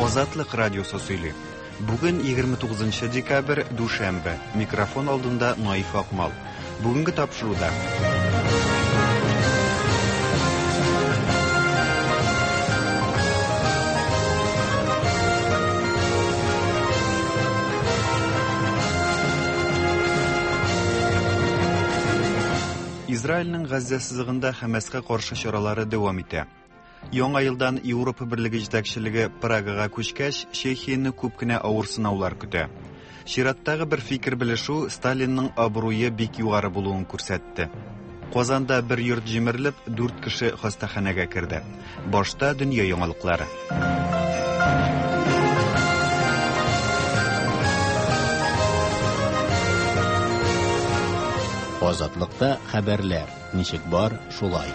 Азатлык радиосы сөйли. Бүген 29 декабрь, дүшәмбе. Микрофон алдында Наиф Акмал. Бүгенге тапшыруда. Израильнең Газзә сызыгында Хәмәскә каршы чаралары дәвам итә. Яңа елдан Европа Берлеге җитәкчелеге Прагага күчкәч, Чехияне күп кенә авыр сынаулар көтә. Чираттагы бер фикер белешү Сталинның абруе бик югары булуын күрсәтте. Казанда бер йорт җимерелеп, дүрт кеше хастаханәгә керде. Башта дөнья яңалыклары. Азатлыкта хәбәрләр ничек бар, шулай.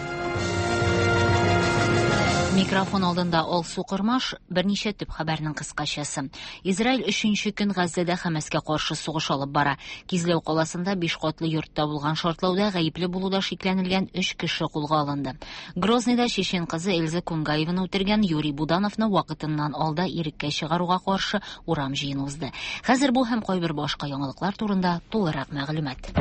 Микрофон алдында Алсу Кормаш, берничә төп хәбәрнең кыскачасы. Израиль өченче көн Газзәдә Хәмәскә каршы сугыш алып бара. Кизләү каласында биш катлы йортта булган шартлауда гаепле булуда шикләнелгән өч кеше кулга алынды. Грозныйда чечен кызы Эльза Кунгаеваны үтергән Юрий Будановны вакытыннан алда иреккә чыгаруга каршы урам җыены узды. Хәзер бу һәм кайбер башка яңалыклар турында тулырак мәгълүмат.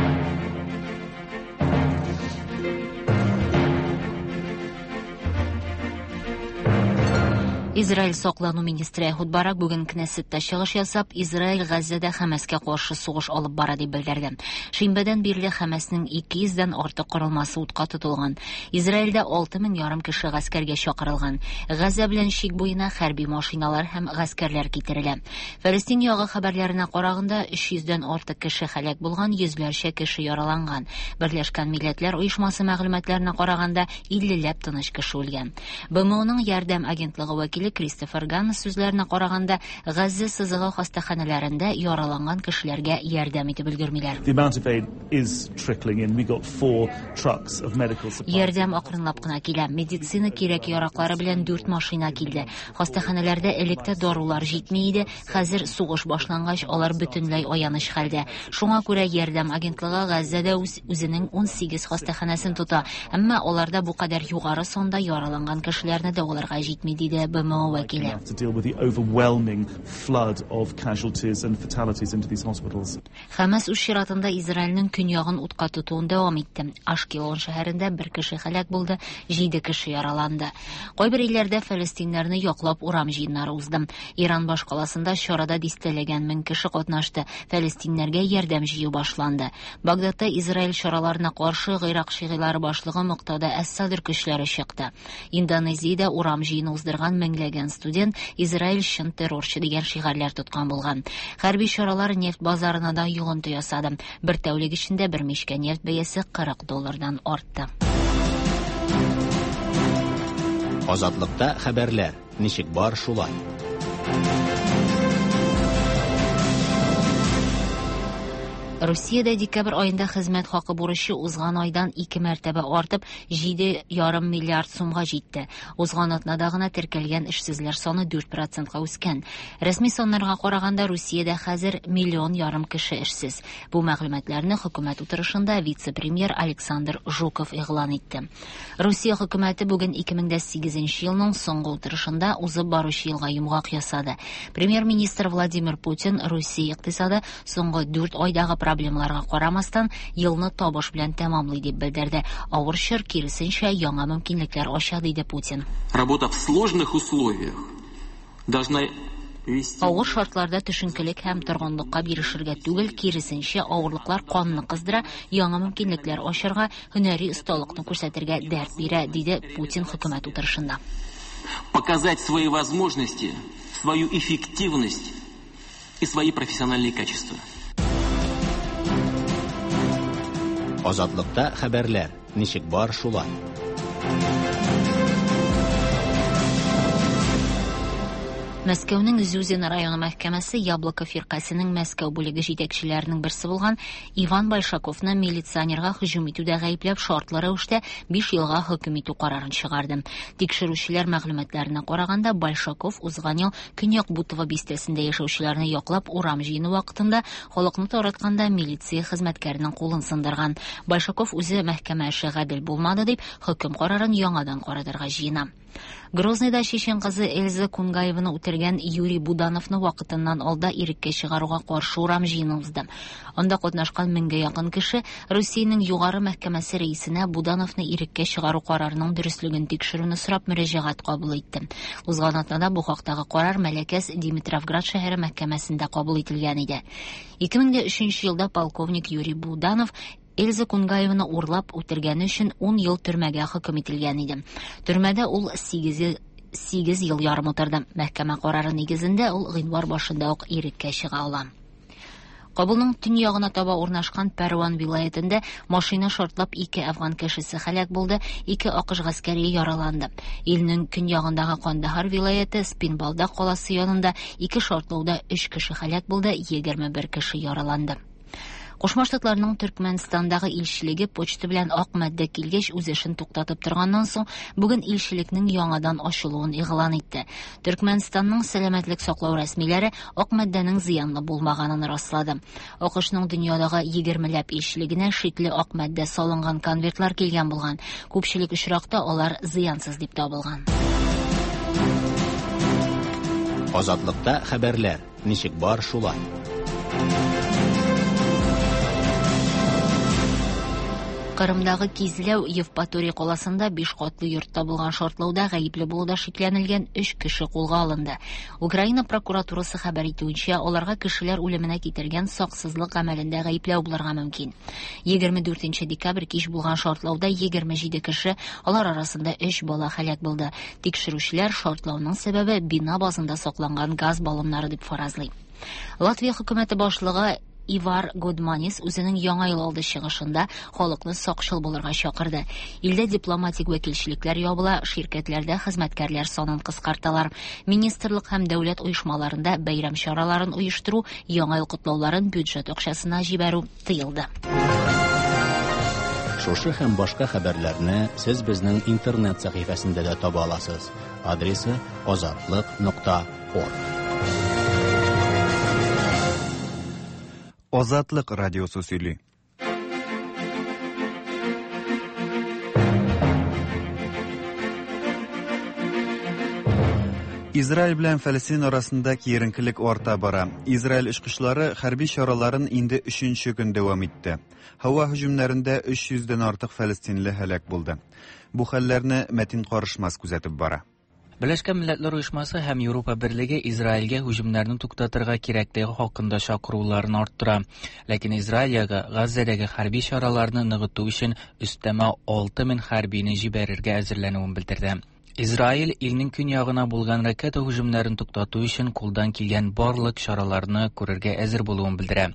Израиль саклану министры Эхуд Барак бүген Кнессетта чыгыш ясап, Израиль Газзәдә Хәмәскә каршы сугыш алып бара дип белдерде. Шимбәдән бирле Хәмәснең 200 дән артык корылмасы утка тотылган. Израильдә 6 мең ярым кеше гаскәргә чакырылган. Газзә белән чик буена хәрби машиналар һәм гаскәрләр китерелә. Фәлестин ягы хәбәрләренә караганда, 300 дән артык кеше һәлак булган, йөзләрчә кеше яраланган. Берләшкән Милләтләр Оешмасы мәгълүматларына караганда, 50 ләп тыныч кеше үлгән. БМОның ярдәм агентлыгы вәкиле Кристофер Ганнес сүзләренә караганда, Газзә сызыгы хастаханәләрендә яраланган кешеләргә ярдәм итеп өлгермиләр. The amount of aid is trickling in. We got four trucks of medical supplies. Ярдәм акрынлап кына килә. Медицина кирәк-яраклары белән дүрт машина килде. Хастаханәләрдә элек тә дарулар җитми иде, хәзер сугыш башлангач, алар бөтенләй аяныч хәлдә. Шуңа күрә ярдәм агентлыгы Газзәдә үз үзенең 18 хастаханәсен тота, әмма аларда бу кадәр югары санда яраланган кешеләрне дәваларга җитми, диде БМО вәкиле. To deal with the overwhelming flood of casualties and fatalities into these hospitals. Хәмәс үз чиратында Израильнең көньягын утка тотуын дәвам итте. Ашкелон шәһәрендә бер кеше һәлак булды, җиде кеше яраланды. Кайбер илләрдә фәлестиннәрне яклап урам җыеннары узды. Иран башкаласында чарада дистәләгән мең кеше катнашты. Фәлестиннәргә ярдәм җыю башланды. Багдадта Израиль чараларына каршы Гыйрак шигыйлары башлыгы Муктада әс-Садр көчләре чыкты. Индонезиядә урам җыены уздырган меңләгән студент «Израиль чын террорчы» дигән шигарьләр тоткан булган. Хәрби чаралар нефть базарына да йогынты ясады. Бер тәүлек эчендә бер мичкә нефть бәясе 40 доллардан артты. Азатлыкта хәбәрләр ничек бар, шулай. Русиядә декабрь аенда хезмәт хакы бурычы узган айдан ике мәртәбә артып, 7,5 миллиард сумга җитте. Узган атнада гына теркәлгән эшсезләр саны 4 процентка үскән. Рәсми саннарга караганда, Русиядә хәзер миллион ярым кеше эшсез. Бу мәгълүматларны хөкүмәт утырышында вице-премьер Александр Жуков игълан итте. Русия хөкүмәте бүген 2008 елның соңгы утырышында узып баручы елга йомгак ясады. Премьер-министр Владимир Путин Русия икътисады соңгы 4 айдагы проблемаларга карамастан елны табыш белән тәмамлый дип белдерде. Авыр чор киресенчә яңа мөмкинлекләр ача, диде Путин. Работа в сложных условиях должна вести Авыр шартларда төшенкелек һәм торгынлыкка бирешергә түгел, киресенчә, авырлыклар канны кыздыра, яңа мөмкинлекләр ачарга, һөнәри осталыкны күрсәтергә дәрт бирә, диде Путин хөкүмәт утырышында. Показать свои возможности, свою эффективность и свои профессиональные качества. Азатлыкта хәбәрләр ничек бар, шулай. Мәскәүнең Зюзин районы мәхкәмәсе Яблоко фиркасының Мәскәү бүлеге җитәкчеләренең берсе булган Иван Большаковны милиционерга һөҗүм итүдә гаепләп шартлы рәвештә 5 елга хөкем итү карарын чыгарды. Тикшерүчеләр мәгълүматларына караганда, Большаков узган ел Көньяк Бутово бистәсендә яшәүчеләрне яклап урам җыены вакытында халыкны таратканда милиция хезмәткәренең кулын сындырган. Большаков үзе мәхкәмә эше гадел булмады дип, хөкем карарын яңадан каратырга җыена. Грозныйда чечен кызы Эльза Кунгаеваны үтергән Юрий Будановны вакытыннан алда иреккә чыгаруга каршы урам җыены узды. Анда катнашкан меңгә якын кеше Русиянең Югары мәхкәмәсе рәисенә Будановны иреккә чыгару карарының дөреслеген тикшерүне сорап мөрәҗәгать кабул итте. Узган атнада бу хактагы карар Мәләкәс Димитровград шәһәре мәхкәмәсендә кабул ителгән иде. 2003 елда полковник Юрий Буданов Эльза Кунгаеваны урлап үтергәне өчен 10 ел төрмәгә хөкем ителгән иде. Төрмәдә ул 8 8 ел ярым утырды. Мәхкәмә карары нигезендә ул гыйнвар башында ук иреккә чыга ала. Кабулның төньягына таба урнашкан Пәрван вилаятендә машина шартлап ике афган кешесе һәлак булды, ике АКШ гаскәре яраланды. Илнең көньягындагы Кандахар вилаяте Спинбалда каласы янында ике шартлауда 3 кеше һәлак булды, 21 кеше яраланды. Кушма Штатларның Төркмәнстандагы илчелеге почта белән ак матдә килгәч үз эшен туктатып торганнан соң бүген илчелекнең яңадан ачылуын игълан итте. Төркмәнстанның сәламәтлек саклау рәсмиләре ак матдәнең зыянлы булмаганын раслады. АКШның дөньядагы 20ләп илчелегенә шикле ак матдә салынган конвертлар килгән булган. Күпчелек очракта алар зыянсыз дип табылган. Азатлыкта хәбәрләр ничек бар шулай. Кырымдагы Кизләү Евпаторий каласында 5 катлы йортта булган шартлауда гаепле булуда шикләнелгән 3 кеше кулга алынды. Украина прокуратурасы хәбәр итүенчә, аларга кешеләр үлеменә китергән саксызлык гамәлендә гаепләү булырга мөмкин. 24 декабрь кич булган шартлауда 27 кеше, алар арасында 3 бала һәлак булды. Тикшерүчеләр шартлауның сәбәбе бина базында сакланган газ баллоннары дип фаразлый. Латвия хөкүмәте башлыгы Ивар Годманис үзенең яңа ел алды чыгышында халыкны сакчыл булырга чакырды. Илдә дипломатик вәкилчелекләр ябыла, ширкәтләрдә хезмәткәрләр санын кыскарталар. Министрлык һәм дәүләт оешмаларында бәйрәм чараларын оештыру, яңа ел котлауларын бюджет акчасына җибәрү тыелды. Шушы һәм башка хәбәрләрне сез безнең интернет сәхифәсендә дә таба аласыз. Адресы azatliq.org. Азатлык радиосы сөйли. Израиль белән Фәлестин арасында киеренкелек арта бара. Израиль очкычлары хәрби чараларын инде 3нче көн дәвам итте. Һава һөҗүмнәрендә 300дән артык фәлестинле һәлак булды. Бу хәлләрне Мәтин Карышмас күзәтеп бара. Берләшкән Милләтләр Оешмасы һәм Европа Берлеге Израильгә һөҗүмнәрне туктатырга кирәклеге хакында чакыруларын арттыра. Ләкин Израильгә Газзәдәге хәрби чараларны ныгыту өчен өстәмә 6000 хәрбине җибәрергә әзерләнүен белдерде. Израиль илнең көньягына булган ракета һөҗүмнәрен туктату өчен кулдан килгән барлык чараларны күрергә әзер булуын белдерә.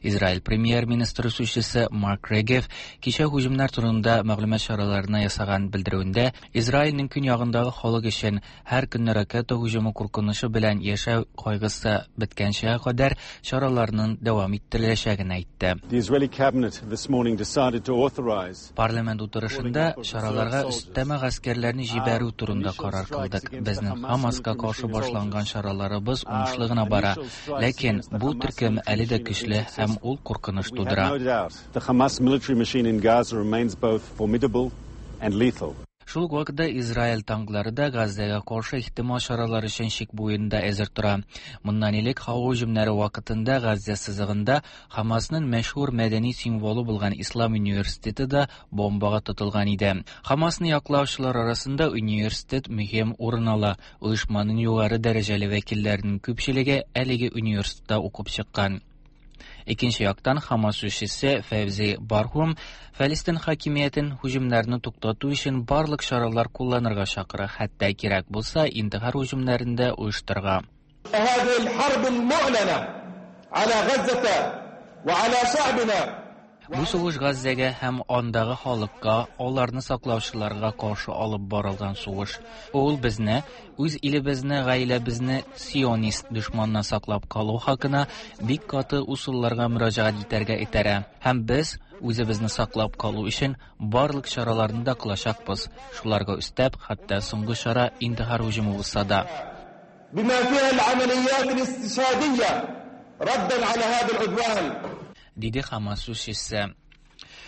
Израиль премьер-министры сүзчесе Марк Регев кичә һөҗүмнәр турында мәгълүмат чараларына ясаган белдерүендә Израильнең көньягындагы халык өчен һәр көнне ракета һөҗүме куркынычы белән яшәү кайгысы беткәнчә кадәр чараларның дәвам иттереләчәген әйтте. The Israeli cabinet this morning decided to authorize Парламент утырышында чараларга өстәмә гаскәрләрне җибәрү турында карар кылдык. Безнең Хамаска каршы башланган чараларыбыз уңышлы гына бара. Ләкин бу төркем әле дә көчле һәм ул куркыныч We have тудыра. no doubt the Hamas military machine in Gaza remains both formidable and lethal. Шул ук вакытта Израиль танклары да Газзәгә каршы ихтимал чаралар өчен чик буенда әзер тора. Моннан элек һава һөҗүмнәре вакытында Газзә сызыгында Хамасның мәшһүр мәдәни символы булган Ислам университеты да бомбага тотылган иде. Хамасны яклаучылар арасында университет мөһим урын ала. Оешманың югары дәрәҗәле вәкилләренең күпчелеге әлеге университетта укып чыккан. Икенче яктан Хамас сүзчесе Фәвзи Бархум Фәлестин хакимиятен һөҗүмнәрне туктату өчен барлык чаралар кулланырга чакыра, хәтта кирәк булса интихар һөҗүмнәрен дә оештырырга. هذه الحرب المعلنة على غزة وعلى شعبنا Бу сугыш Газзәгә һәм андагы халыкка, аларны саклаучыларга каршы алып барылган сугыш. Ул безне, үз илебезне, гаиләбезне сионист дошманнан саклап калу хакына бик каты усулларга мөрәҗәгать итәргә этәрә. Һәм без үзебезне саклап калу өчен барлык чараларны да кылачакбыз. Шуларга өстәп, хәтта соңгы чара интихар һөҗүме булса да. بما فيها العمليات الاستشهادية ردا على هذا العدوان Диде Хамас сүзчесе.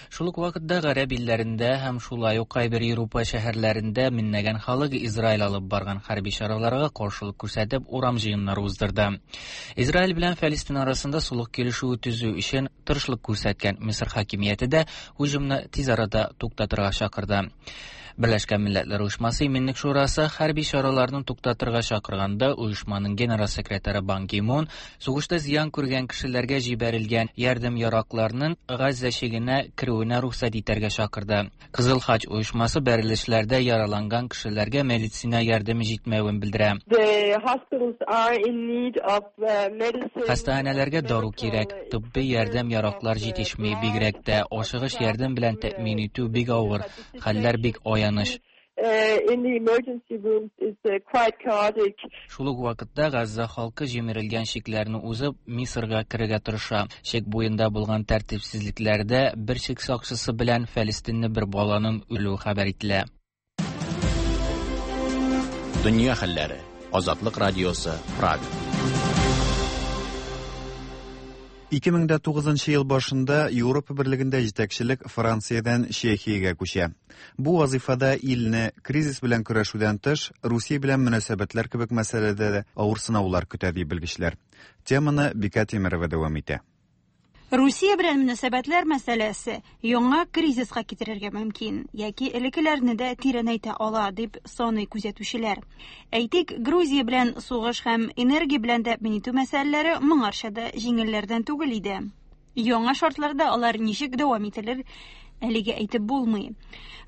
Шул ук вакытта гарәп илләрендә һәм шулай ук кайбер Европа шәһәрләрендә меңләгән халык Израиль алып барган хәрби чараларга каршылык күрсәтеп урам җыеннары уздырды. Израиль белән Фәлестин арасында солых килешүе төзү өчен тырышлык күрсәткән Мисыр хакимияте дә һөҗүмне тиз арада туктатырга чакырды. Берләшкән Милләтләр Оешмасы Иминлек Шурасы хәрби чараларны туктатырга чакырганда оешманың генераль секретаре Бан Ги Мун сугышта зыян күргән кешеләргә җибәрелгән ярдәм яракларының Газзә чигенә керүенә рөхсәт итәргә чакырды. Кызыл Хач оешмасы бәрелешләрдә яраланган кешеләргә медицина ярдәме җитмәвен белдерә. Хастаханәләргә дару кирәк, тибби ярдәм яраклар җитешми, бигрәк тә ашыгыч ярдәм белән тәэмин итү бик авыр. Хәлләр бик аяныч. Шул ук вакытта Газза халкы җимерелгән чикләрне узып, Мисырга керергә тырыша. Чик буенда булган тәртипсезлекләрдә бер чик сакчысы белән фәлестинле бер баланың үлүе хәбәр ителә. Дөнья хәлләре. Азатлык радиосы, Прага. 2009 ел башында Европа берлегендә җитәкчелек Франциядән Чехиягә күчә. Бу вазифада илне кризис белән көрәшүдән тыш, Русия белән мөнәсәбәтләр кебек мәсьәләдә дә авыр сынаулар көтә ди белгечләр. Теманы Бика Тимирова дәвам итә. Русия белән мөнәсәбәтләр мәсьәләсе яңа кризиска китерергә мөмкин яки элеккеләрне дә тирәнәйтә ала дип саный күзәтүчеләр. Әйтик, Грузия белән сугыш һәм энергия белән тәэмин итү мәсьәләләре моңарча да җиңелләрдән түгел иде. Яңа шартларда алар ничек дәвам ителер, әлегә әйтеп булмый.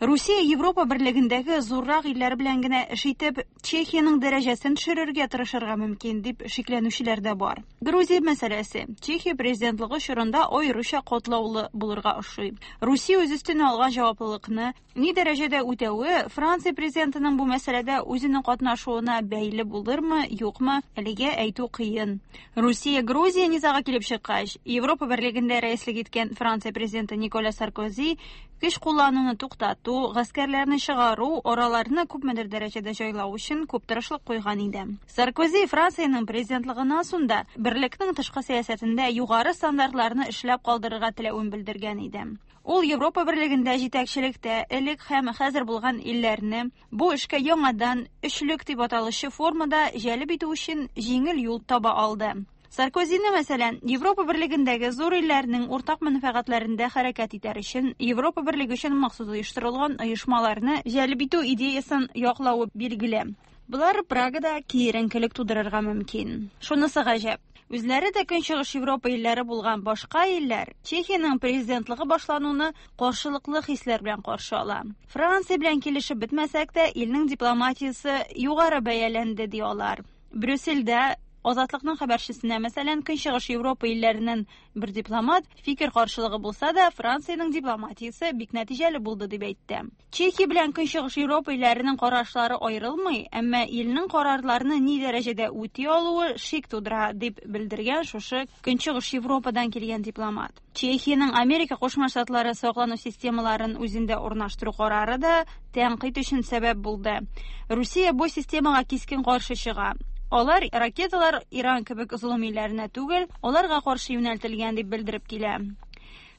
Русия Европа берлегендәге зуррак илләр белән генә эш итеп, Чехиянең дәрәҗәсен төшерергә тырышырга мөмкин дип шикләнүчеләр дә бар. Грузия мәсьәләсе Чехия президентлыгы чорында аеруча катлаулы булырга ошый. Русия үз өстенә алган җаваплылыкны ни дәрәҗәдә үтәве Франция президентының бу мәсьәләдә үзенең катнашуына бәйле булырмы, юкмы, әлегә әйтү кыен. Русия Грузия низагы килеп чыккач, Европа берлегендә рәислек иткән Франция президенты Николя Саркози көч куллануны туктату, гаскәрләрне чыгару, араларны күпмедер дәрәҗәдә җайлау өчен күп тырышлык куйган иде. Саркози Франциянең президентлыгыннан соң да берлекнең тышкы сәясәтендә югары стандартларны эшләп калдырырга теләвен белдергән иде. Ул Европа берлегендә җитәкчелектә элек һәм хәзер булган илләрне бу эшкә яңадан өчлек дип аталучы формада җәлеп итү өчен җиңел юл таба алды. Саркозины, мәсәлән, Европа берлегендәге зур илләрнең уртак мәнфәгатьләрендә хәрәкәт итәр өчен Европа берлеге өчен махсус оештырылган оешмаларны җәлеп итү идеясын яклавы билгеле. Болар Прагада киеренкелек тудырырга мөмкин. Шунысы гаҗәп. Үзләре дә Көнчыгыш Европа илләре булган башка илләр Чехиянең президентлыгы башлануны каршылыклы хисләр белән каршы ала. Франция белән килешеп бетмәсәк тә, илнең дипломатиясе югары бәяләнде ди алар. Брюссельдә Азатлыкның хәбәрчесенә, мәсәлән, Көнчыгыш Европа илләреннән бер дипломат фикер каршылыгы булса да, Франциянең дипломатиясе бик нәтиҗәле булды дип әйтте. Чехия белән Көнчыгыш Европа илләренең карашлары аерылмый, әмма илнең карарларны ни дәрәҗәдә үти алуы шик тудыра, дип белдергән шушы Көнчыгыш Европадан килгән дипломат. Чехиянең Америка Кушма Штатлары саклану системаларын үзендә урнаштыру карары да тәнкыйть өчен сәбәп булды. Русия бу системага кискен каршы чыга. Алар ракеталар Иран кебек золым илләренә түгел, аларга каршы юнәлтелгән дип белдереп килә.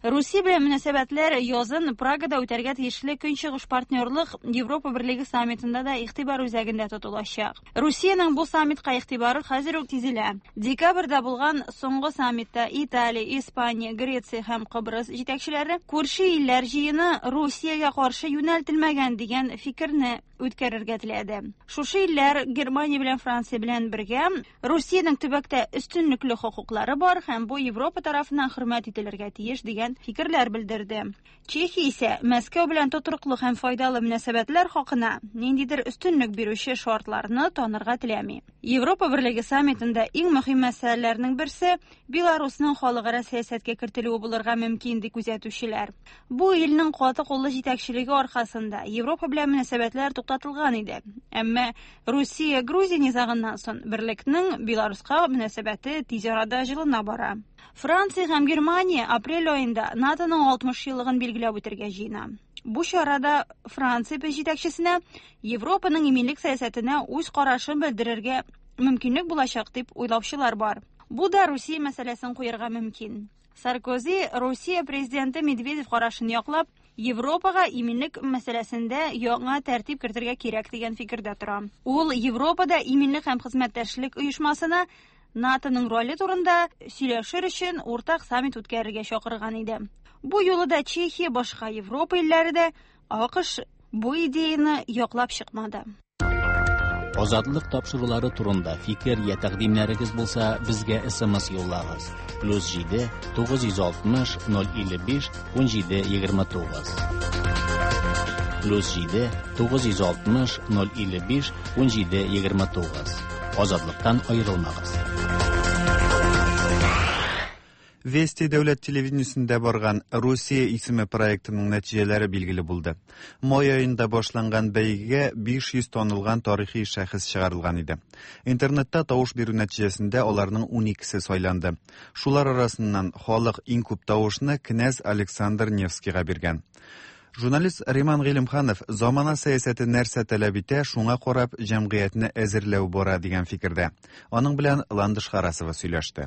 Русия белән мөнәсәбәтләр язын Прагада үтәргә тиешле Көнчыгыш партнерлык Европа берлеге саммитында да игътибар үзәгендә тотылачак. Русиянең бу саммитка игътибары хәзер үк сизелә. Декабрьдә булган соңгы саммитта Италия, Испания, Греция һәм Кыбрыс җитәкчеләре күрше илләр җыены Русиягә каршы юнәлтелмәгән дигән фикерне үткәрергә теләде. Шушы илләр Германия белән Франция белән бергә Русиянең төбәктә өстенлекле хокуклары бар һәм бу Европа тарафыннан хөрмәт ителергә тиеш дигән фикерләр белдерде. Чехия исә Мәскәү белән тотрыклы һәм файдалы мөнәсәбәтләр хакына ниндидер өстенлек бирүче шартларны танырга теләми. Европа берлеге саммитында иң мөһим мәсьәләләрнең берсе Беларусның халыкара сәясәткә кертелүе булырга мөмкин ди күзәтүчеләр. Бу илнең каты куллы җитәкчелеге аркасында Европа белән мөнәсәбәтләр туктатылган иде. Әмма Русия-Грузия низагыннан соң берлекнең Беларуска мөнәсәбәте тиз арада җылына бара. Франция һәм Германия апрель аенда НАТОның 60 еллыгын билгеләп үтәргә җыена. Бу чарада Франция җитәкчесенә Европаның иминлек сәясәтенә үз карашын белдерергә мөмкинлек булачак дип уйлаучылар бар. Бу да Русия мәсьәләсен куярга мөмкин. Саркози Русия президенты Медведев карашын яклап, Европага иминлек мәсьәләсендә яңа тәртип кертергә кирәк дигән фикердә тора. Ул Европада иминлек һәм хезмәттәшлек оешмасына НАТОның роле турында сөйләшер өчен уртак саммит үткәрергә чакырган иде. Бу юлы да Чехия, башка Европа илләре дә, АКШ бу идеяны яклап чыкмады. Азатлык тапшырулары турында фикер я тәкъдимнәрегез булса, безгә SMS юллагыз. +7 960 055 17 29. +7 960 055 17 29. Азатлыктан аерылмагыз. Вести дәүләт телевидениесендә барган Русия исеме проектының нәтиҗәләре билгеле булды. Май аенда башланган бәйгегә 500 танылган тарихи шәхес чыгарылган иде. Интернетта тавыш бирү нәтиҗәсендә аларның 12-се сайланды. Шулар арасыннан халык иң күп тавышны князь Александр Невскийга биргән. Журналист Риман Гыйлемханов замана сәясәте нәрсә таләп итә, шуңа карап җәмгыятьне әзерләү бара дигән фикердә. Аның белән Ландыш Харасова сөйләште.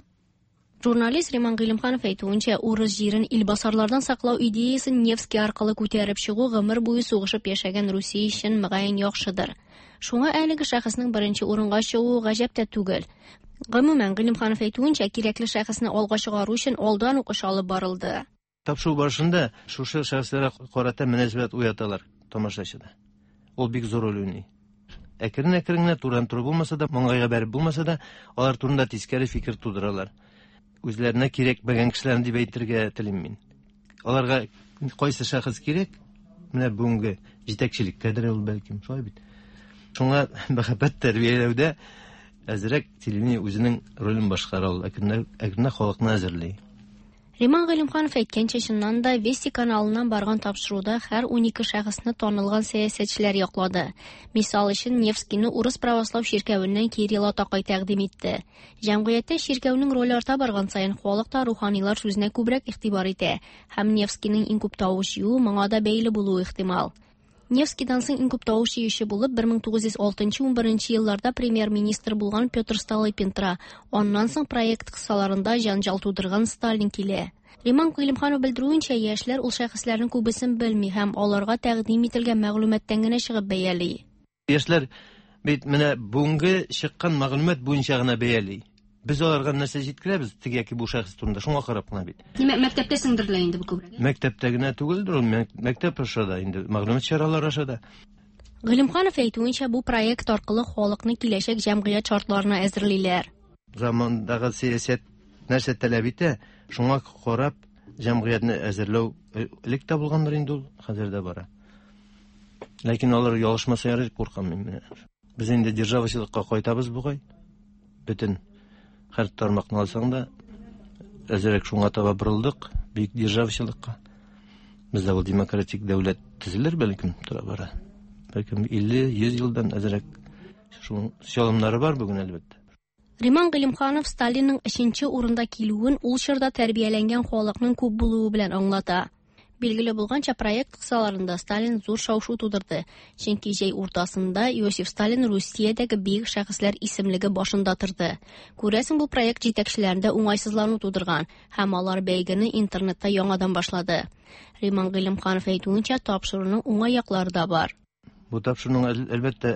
Журналист Риман Гыйлемханов әйтүенчә, урыс җирен илбасарлардан саклау идеясын Невский аркылы күтәреп чыгу гомер буе сугышып яшәгән Русия өчен мөгаен яхшыдыр. Шуңа әлеге шәхеснең беренче урынга чыгуы гаҗәп тә түгел. Гомумән, Гыйлемханов әйтүенчә, кирәкле шәхесне алга чыгару өчен алдан ук эш алып барылды. Тапшыру барышында шушы шәхесләргә карата мөнәсәбәт уяталар тамашачыда. Ул бик зур роль уйный. Әкрен-әкрен генә турыдан-туры булмаса да, маңгайга бәреп булмаса да, алар турында тискәре фикер тудыралар. Үзләренә кирәкмәгән кешеләрне дип әйтергә телим мин. Аларга кайсы шәхес кирәк? Менә бүгенге җитәкчелеккәдер ул бәлкем, шулай бит. Шуңа мәхәббәт тәрбияләүдә әзрәк телевидение үзенең ролен башкара ул, әкренләп халыкны әзерли. Риман Гыйлемханов әйткәнчә, чыннан да Вести каналыннан барган тапшыруда һәр 12 шәхесне танылган сәясәтчеләр яклады. Мисал өчен, Невскийны урыс православ чиркәвеннән Кирилл атакай тәкъдим итте. Җәмгыятьтә чиркәүнең роле арта барган саен халык та руханилар сүзенә күбрәк игътибар итә һәм Невскийның иң күп тавыш җыюы моңа да бәйле булуы ихтимал. Невскийдан соң иң күп тавыш җыючы булып 1906-11 елларда премьер-министр булган Петр Столыпин тора. Аннан соң проект кысаларында җанҗал тудырган Сталин килә. Риман Гыйлемханов белдерүенчә, яшьләр ул шәхесләрнең күбесен белми һәм аларга тәкъдим ителгән мәгълүматтан генә чыгып бәяли. Яшьләр бит менә бүгенге чыккан мәгълүмат буенча гына бәяли. Без аларга нәрсә җиткерәбез теге яки бу шәхес турында, шуңа карап кына бит. Димәк, мәктәптә сеңдерелә инде бу күбрәк. Мәктәптә генә түгелдер ул, мәктәп аша да инде, мәгълүмат чаралары аша да. Гыйлемханов әйтүенчә, бу проект аркылы халыкны киләчәк җәмгыять шартларына әзерлиләр. Замандагы сәясәт нәрсә таләп итә, шуңа карап җәмгыятьне әзерләү элек тә булгандыр инде ул, хәзер дә бара. Ләкин алар ялгышмаса ярый дип куркам мин менә. Без инде державачылыкка кайтабыз бугай. Бөтен һәр тармакны алсаң да, әзерәк шуңа таба борылдык, бөек державачылыкка. Бездә ул демократик дәүләт төзелер бәлкем тора-бара. Бәлкем 50-100 елдан әзерәк шуның чалымнары бар бүген әлбәттә. Риман Гыйлемханов Сталинның өченче урында килүен ул чорда тәрбияләнгән халыкның күп булуы белән аңлата. Билгеле булганча, проект кысаларында Сталин зур шау-шу тудырды, чөнки җәй уртасында Иосиф Сталин Русиядәге бөек шәхесләр исемлеге башында торды. Күрәсең, бу проект җитәкчеләрендә уңайсызлану тудырган һәм алар бәйгене интернетта яңадан башлады. Риман Гыйлемханов әйтүенчә, тапшыруның уңай яклары да бар. Бу тапшыруның әлбәттә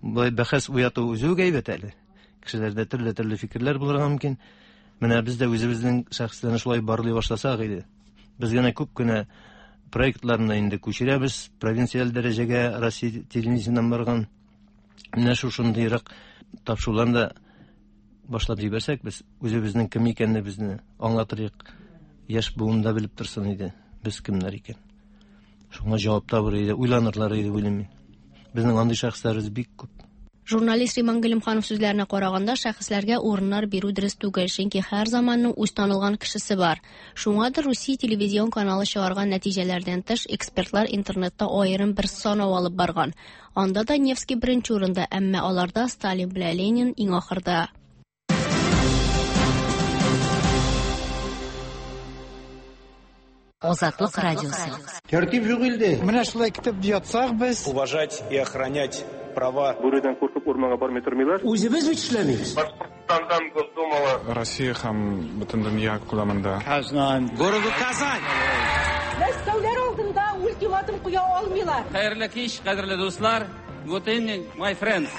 болай бәхәс уяту үзе үк әйбәт әле. Кешеләрдә төрле-төрле фикерләр булырга мөмкин. Менә без дә үзебезнең шәхесләрне шулай барлый башласак иде. Без генә күп кенә проектларны инде күчерәбез провинциаль дәрәҗәгә, Россия телевидениесеннән барган. Менә шушындыйрак тапшыруларны да башлап җибәрсәк, без үзебезнең кем икәнебезне аңлатырык. Яшь буын да белеп торсын иде, без кемнәр икән. Шуңа җавап табыр иде, уйланырлар иде уйлыйм мин. Безнең андый шәхесләребез бик күп. Журналист Риман Гыйлемханов сүзләренә караганда, шәхесләргә урыннар бирү дөрес түгел, чөнки һәр заманның үз танылган кешесе бар. Шуңадыр Русия телевизион каналы чыгарган нәтиҗәләрдән тыш, экспертлар интернетта аерым бер санау алып барган. Анда да Невский беренче урында, әмма аларда Сталин белән Ленин иң ахырда. Азатлык радиосы. Тәртип юк илдә. Менә шулай көтеп ятсак без. Уважать и охранять права. Бүредән куркып урманга бармый тормыйлар. Үзебез бит эшләмибез. Башкортстандан Госдумала. Россия һәм бөтен дөнья күләмендә. Казан. Городу Казань. Мәскәүләр алдында ультиматум куя алмыйлар. Хәерле кич, кадерле дуслар. Good evening, my friends.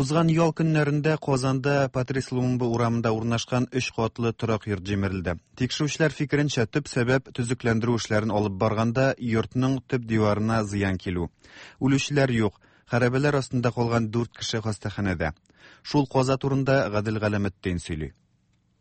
Узган ял көннәрендә Казанда Патрис Лумумба урамында урнашкан өч катлы торак йорт җимерелде. Тикшерүчеләр фикеренчә, төп сәбәп төзекләндерү эшләрен алып барганда йортның төп диварына зыян килү. Үлүчеләр юк. Хәрабәләр астында калган дүрт кеше хастаханәдә. Шул каза турында Гадел Галәметдин сөйли.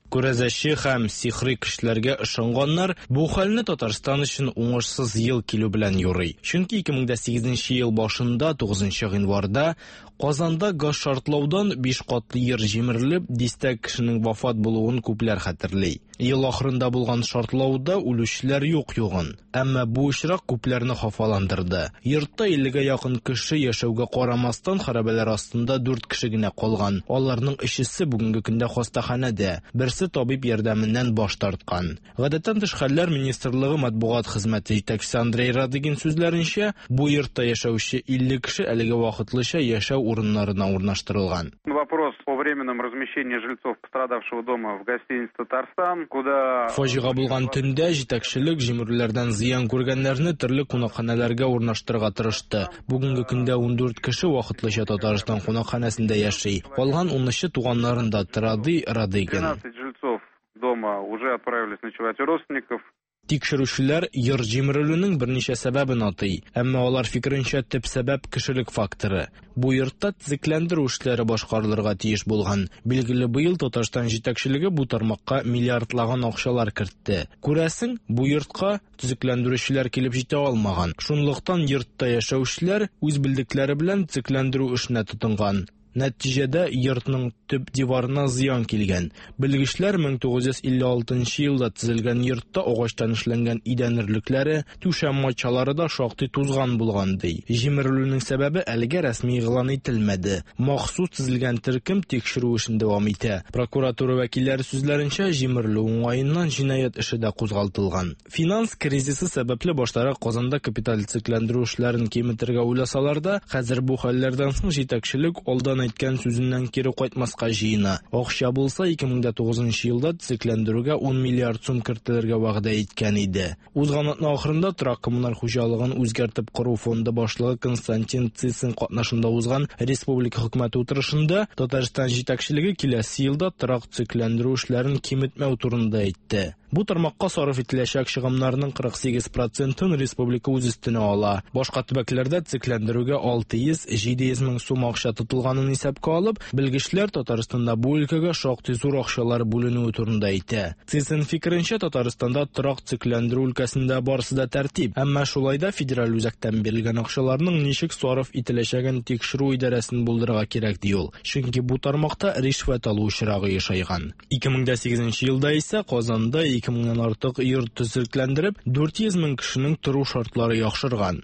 Күрәзәче һәм сихри көчләргә ышанганнар бу хәлне Татарстан өчен уңышсыз ел килү белән юрый. Чөнки 2008 ел башында 9 гыйнварда Казанда газ шартлаудан 5 катлы йорт җимерелеп, дистә кешенең вафат булуын күпләр хәтерли. Ел ахырында булган шартлауда үлүчеләр юк югын. Әмма бу очрак күпләрне хафаландырды. Йортта 50-гә якын кеше яшәүгә карамастан, хәрабәләр астында 4 кеше генә калган. Аларның өчесе бүгенге көндә хастаханәдә. Берсе табиб ярдәменнән баш тарткан. Гадәттән тыш хәлләр министрлыгы матбугат хезмәте җитәкчесе Андрей Радыгин сүзләренчә, бу йортта яшәүче 50 кеше әлегә вакытлыча яшәү урыннарына урнаштырылган. Вопрос о временном размещении жильцов пострадавшего дома в гостинице «Татарстан», куда... Фаҗига булган төндә җитәкчелек җимерүләрдән зыян күргәннәрне төрле кунакханәләргә урнаштырырга тырышты. Бүгенге көндә 14 кеше вакытлыча Татарстан кунакханәсендә яши. Калган 13-е туганнарында тора, ди Радыгин. 12 жильцов дома уже отправились ночевать у родственников. Тикшерүчеләр йорт җимерелүнең берничә сәбәбен атый. Әмма алар фикеренчә, төп сәбәп кешелек факторы. Бу йортта төзекләндерү эшләре башкарылырга тиеш булган. Билгеле, быел Татарстан җитәкчелеге бу тармакка миллиардлаган акчалар кертте. Күрәсең, бу йортка төзекләндерүчеләр килеп җитә алмаган. Шунлыктан йортта яшәүчеләр үз белдекләре белән төзекләндерү эшенә тотынган. Нәтиҗәдә йортның төп диварына зыян килгән. Белгечләр 1956 елда төзелгән йортта агачтан эшләнгән идән өрлекләре, түшәм матчалары да шактый тузган булган ди. Җимерелүнең сәбәбе әлегә рәсми игълан ителмәде. Махсус төзелгән төркем тикшерү эшен дәвам итә. Прокуратура вәкилләре сүзләренчә, җимерелү уңаеннан җинаять эше дә кузгалтылган. Финанс кризисы сәбәпле баштарак Казанда капиталь төзекләндерү эшләрен киметергә уйласалар да, хәзер бу хәлләрдән соң җитәкчелек алдан әйткән сүзеннән кире кайтмаска җыена. Акча булса, 2009 елда төзекләндерүгә 10 миллиард сум кертелергә вәгъдә иткән иде. Узган атна ахырында торак коммуналь хуҗалыгын үзгәртеп кору фонды башлыгы Константин Цицин катнашында узган республика хөкүмәте утырышында Татарстан җитәкчелеге киләсе елда торак төзекләндерү эшләрен киметмәү турында әйтте. Бу тармакка сарыф ителәчәк чыгымнарның 48%-ын республика үз өстенә ала. Башка төбәкләрдә төзекләндерүгә 600-700 мең сум акча тотылганын исәпкә алып, белгечләр Татарстанда бу өлкәгә шактый зур акчалар бүленүе турында әйтә. Цицин фикеренчә, Татарстанда торак төзекләндерү өлкәсендә барысы да тәртип, әмма шулай да федераль үзәктән бирелгән акчаларның ничек сарыф ителәчәген тикшерү идарәсен булдырырга кирәк, ди ул. Чөнки бу тармакта ришвәт алу очрагы ешайган. 2008 елда исә Казанда 2000-нән артык йорт төзекләндереп, 400 мең кешенең тору шартлары яхшырган.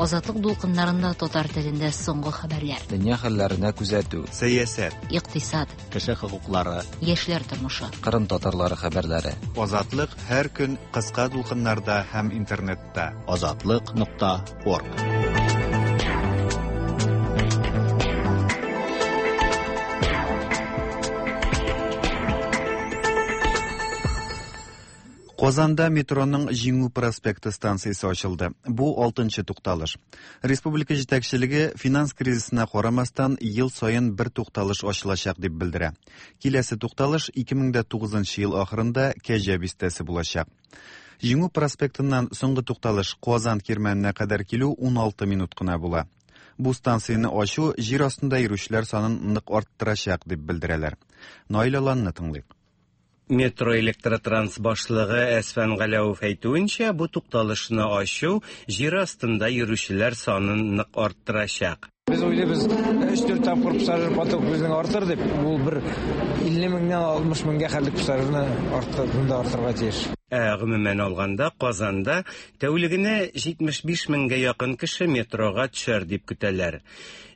Азатлык дулкыннарында татар телендә соңгы хәбәрләр. Дөнья хәлләренә күзәтү. Сәясәт. Икътисад. Кеше хокуклары. Яшьләр тормышы. Кырым татарлары хәбәрләре. Азатлык һәр көн кыска дулкыннарда һәм интернетта. Азатлык.орг. Казанда метроның Җиңү проспекты станциясе ачылды. Бу 6-нчы тукталыш. Республика җитәкчелеге финанс кризисына карамастан ел саен бер тукталыш ачылачак дип белдерә. Киләсе тукталыш 2009 ел ахырында Кәҗә бистәсе булачак. Җиңү проспектыннан соңгы тукталыш Казан кирмәненә кадәр килү 16 минут кына була. Бу станцияне ачу җир астында йөрүчеләр санын нык арттырачак дип белдерәләр. Наил Аланны тыңлыйк. Метро электротранс башлыгы Әсфән Галәүев әйтүенчә, бу тукталышны ачу җир астында йөрүчеләр санын нык арттырачак. Без уйлыйбыз, 3-4 тапкыр пассажир поток безнең артыр дип, ул бер 50 меңнән 60 меңгә хәтлек пассажирны арттырырга тиеш. Ә гомумән алганда, Казанда тәүлегенә 75 меңгә якын кеше метрога төшәр дип көтәләр.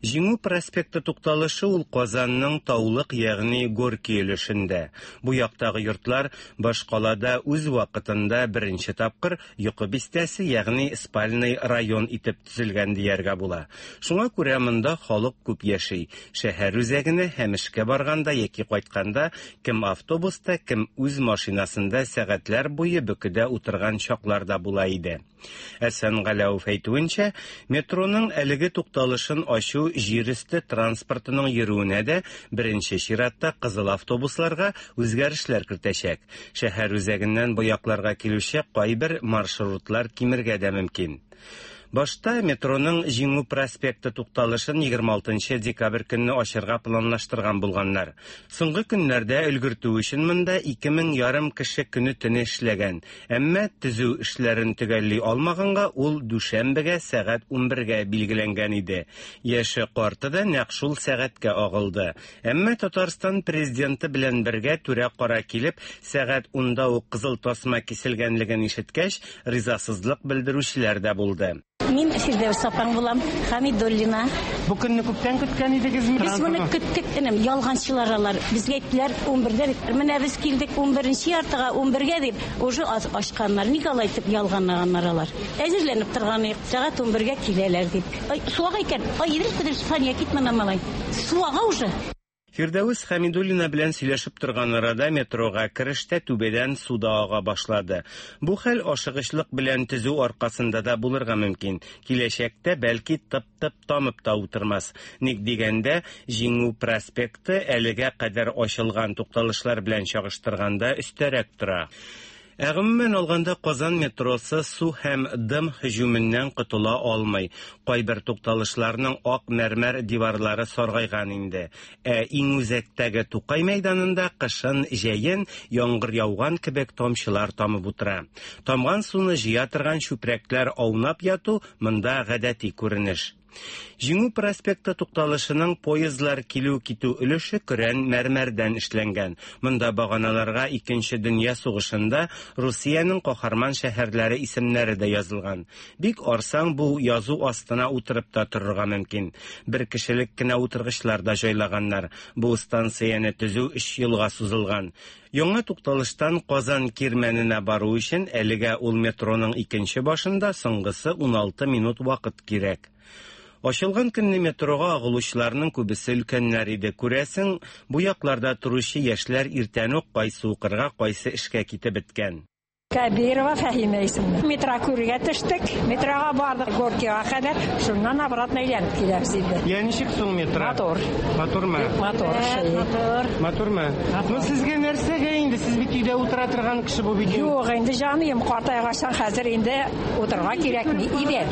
Җиңү проспекты тукталышы ул Казанның Таулык, ягъни Горки өлешендә. Бу яктагы йортлар башкалада үз вакытында беренче тапкыр йокы бистәсе, ягъни спальный район итеп төзелгән дияргә була. Шуңа күрә монда халык күп яши. Шәһәр үзәгенә һәм эшкә барганда яки кайтканда кем автобуста, кем үз машинасында сәгатьләр буе бөкедә утырган чаклар да була иде. Әсән Галәүов әйтүенчә, метроның әлеге тукталышын ачу җир өсте транспортының йөрүенә дә, беренче чиратта кызыл автобусларга үзгәрешләр кертәчәк. Шәһәр үзәгеннән бу якларга килүче кайбер маршрутлар кимергә дә мөмкин. Башта метроның Җиңү проспекты тукталышын 26 декабрь көнне ачырга планлаштырган булганнар. Соңгы көннәрдә өлгертү өчен монда 2 мең ярым кеше көне-төне эшләгән. Әмма төзү эшләрен төгәлли алмаганга ул дүшәмбегә сәгать 11гә билгеләнгән иде. Яше карты да нәкъ шул сәгатькә агылды. Әмма Татарстан президенты белән бергә түрә-кара килеп, сәгать унда ук кызыл тасма киселгәнлеген ишеткәч, ризасызлык белдерүчеләр дә булды. Мин Фирдәүс апаң булам, Хамидуллина. Бу көнне күптән көткән идегезме? Без моны көттек, энем, ялганчылар алар. Безгә әйттеләр 11дә дип. Менә без килдек 11нче яртыга, 11гә дип, уже ачканнар. Ник алай итеп ялганлаганнар алар? Әзерләнеп торган идек, сәгать 11гә киләләр дип. Ай, су ага икән. Ай, Идрис Кадырович, Сания, кит моннан, малай. Су ага уже. Фирдәвес Хәмидуллина белән сөйләшеп торган арада метрога керештә түбәдән су да ага башлады. Бу хәл ашыгычлык белән төзү аркасында да булырга мөмкин. Киләчәктә бәлки тып-тып тамып та утырмас. Ник дигәндә, Җиңү проспекты әлегә кадәр ачылган тукталышлар белән чагыштырганда өстәрәк тора. Ә гомумән алганда Казан метросы су һәм дым һөҗүменнән котыла алмый. Кайбер тукталышларның ак мәрмәр диварлары саргайган инде. Ә иң үзәктәге Тукай мәйданында кышын, җәен яңгыр яуган кебек тамчылар тамып утыра. Тамган суны җыя торган чүпрәкләр аунап яту монда гадәти күренеш. Җиңү проспекты тукталышының поездлар килү-китү өлеше көрән мәрмәрдән эшләнгән. Монда баганаларга Икенче дөнья сугышында Русиянең каһарман шәһәрләре исемнәре дә язылган. Бик арсаң, бу язу астына утырып та торырга мөмкин. Бер кешелек кенә утыргычлар да җайлаганнар. Бу станцияне төзү өч елга сузылган. Яңа тукталыштан Казан Кирмәненә бару өчен әлегә ул метроның икенче башында соңгысы 16 минут вакыт кирәк. Ачылган көнне метрога агылучыларның күбесе өлкәннәр иде. Күрәсең, бу якларда торучы яшьләр иртән үк кайсы укырга, кайсы эшкә китеп беткән. Кәбирова Фәһимә исемле. Метро күрергә төштек. Метрога бардык Горкига кадәр. Шуннан обратно әйләнеп киләбез инде. Я ничек соң метро? Матур. Матурмы? Матур шәй. Матур. Матурмы? Ну сезгә нәрсәгә инде? Сез бит өйдә утыра торган кеше бу бит. Юк, инде җаныем, картайгачтан хәзер инде утырырга кирәкми иде.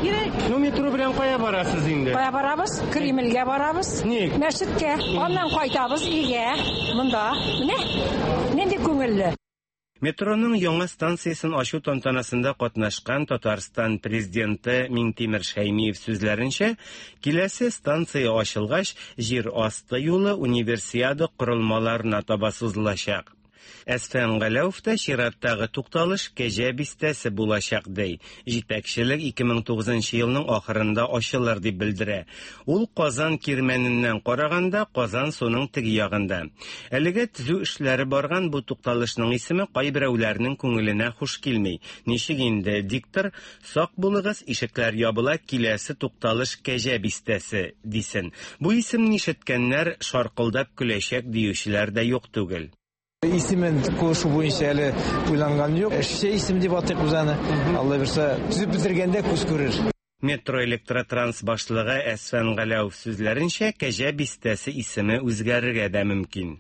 Ну метро белән кая барасыз инде? Кая барабыз? Кремльгә барабыз. Ник? Мәчеткә. Аннан кайтабыз өйгә. Монда. Менә нинди күңелле. Метроның яңа станциясен ачу тантанасында катнашкан Татарстан президенты Миңтимер Шәймиев сүзләренчә, киләсе станция ачылгач, җир асты юлы Универсиада корылмаларына таба сузылачак. Әсфән Галәүов та чираттагы тукталыш Кәҗә бистәсе булачак ди. Җитәкчелек 2009 елның ахырында ачылыр дип белдерә. Ул Казан Кирмәненнән караганда Казан суның теге ягында. Әлегә төзү эшләре барган бу тукталышның исеме кайберәүләрнең күңеленә хуш килми. Ничек инде диктор «Сак булыгыз, ишекләр ябыла, киләсе тукталыш Кәҗә бистәсе» дисен. Бу исемне ишеткәннәр шаркылдап көләчәк диючеләр дә юк түгел. Исемен кушу буенча әле уйланган юк. Эшче исем дип атыйк без аны. Алла бирсә, төзеп бетергәндә күз күрер. Метро электротранс башлыгы Әсфән Галәүов сүзләренчә, Кәҗә бистәсе исеме үзгәрергә дә мөмкин.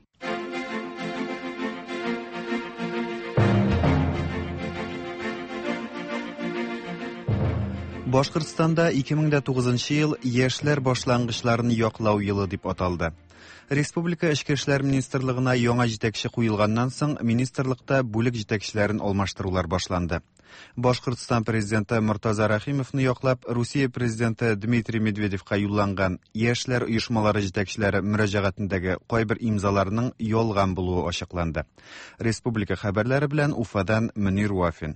Башкортстанда 2009 ел яшьләр башлангычларын яклау елы дип аталды. Республика Эчке эшләр министрлыгына яңа җитәкче куелганнан соң, министрлыкта бүлек җитәкчеләрен алмаштырулар башланды. Башкортстан президенты Мортаза Рәхимовны яклап, Русия президенты Дмитрий Медведевка юлланган яшьләр оешмалары җитәкчеләре мөрәҗәгатендәге кайбер имзаларның ялган булуы ачыкланды. Республика хәбәрләре белән Уфадан Мөнир Вафин.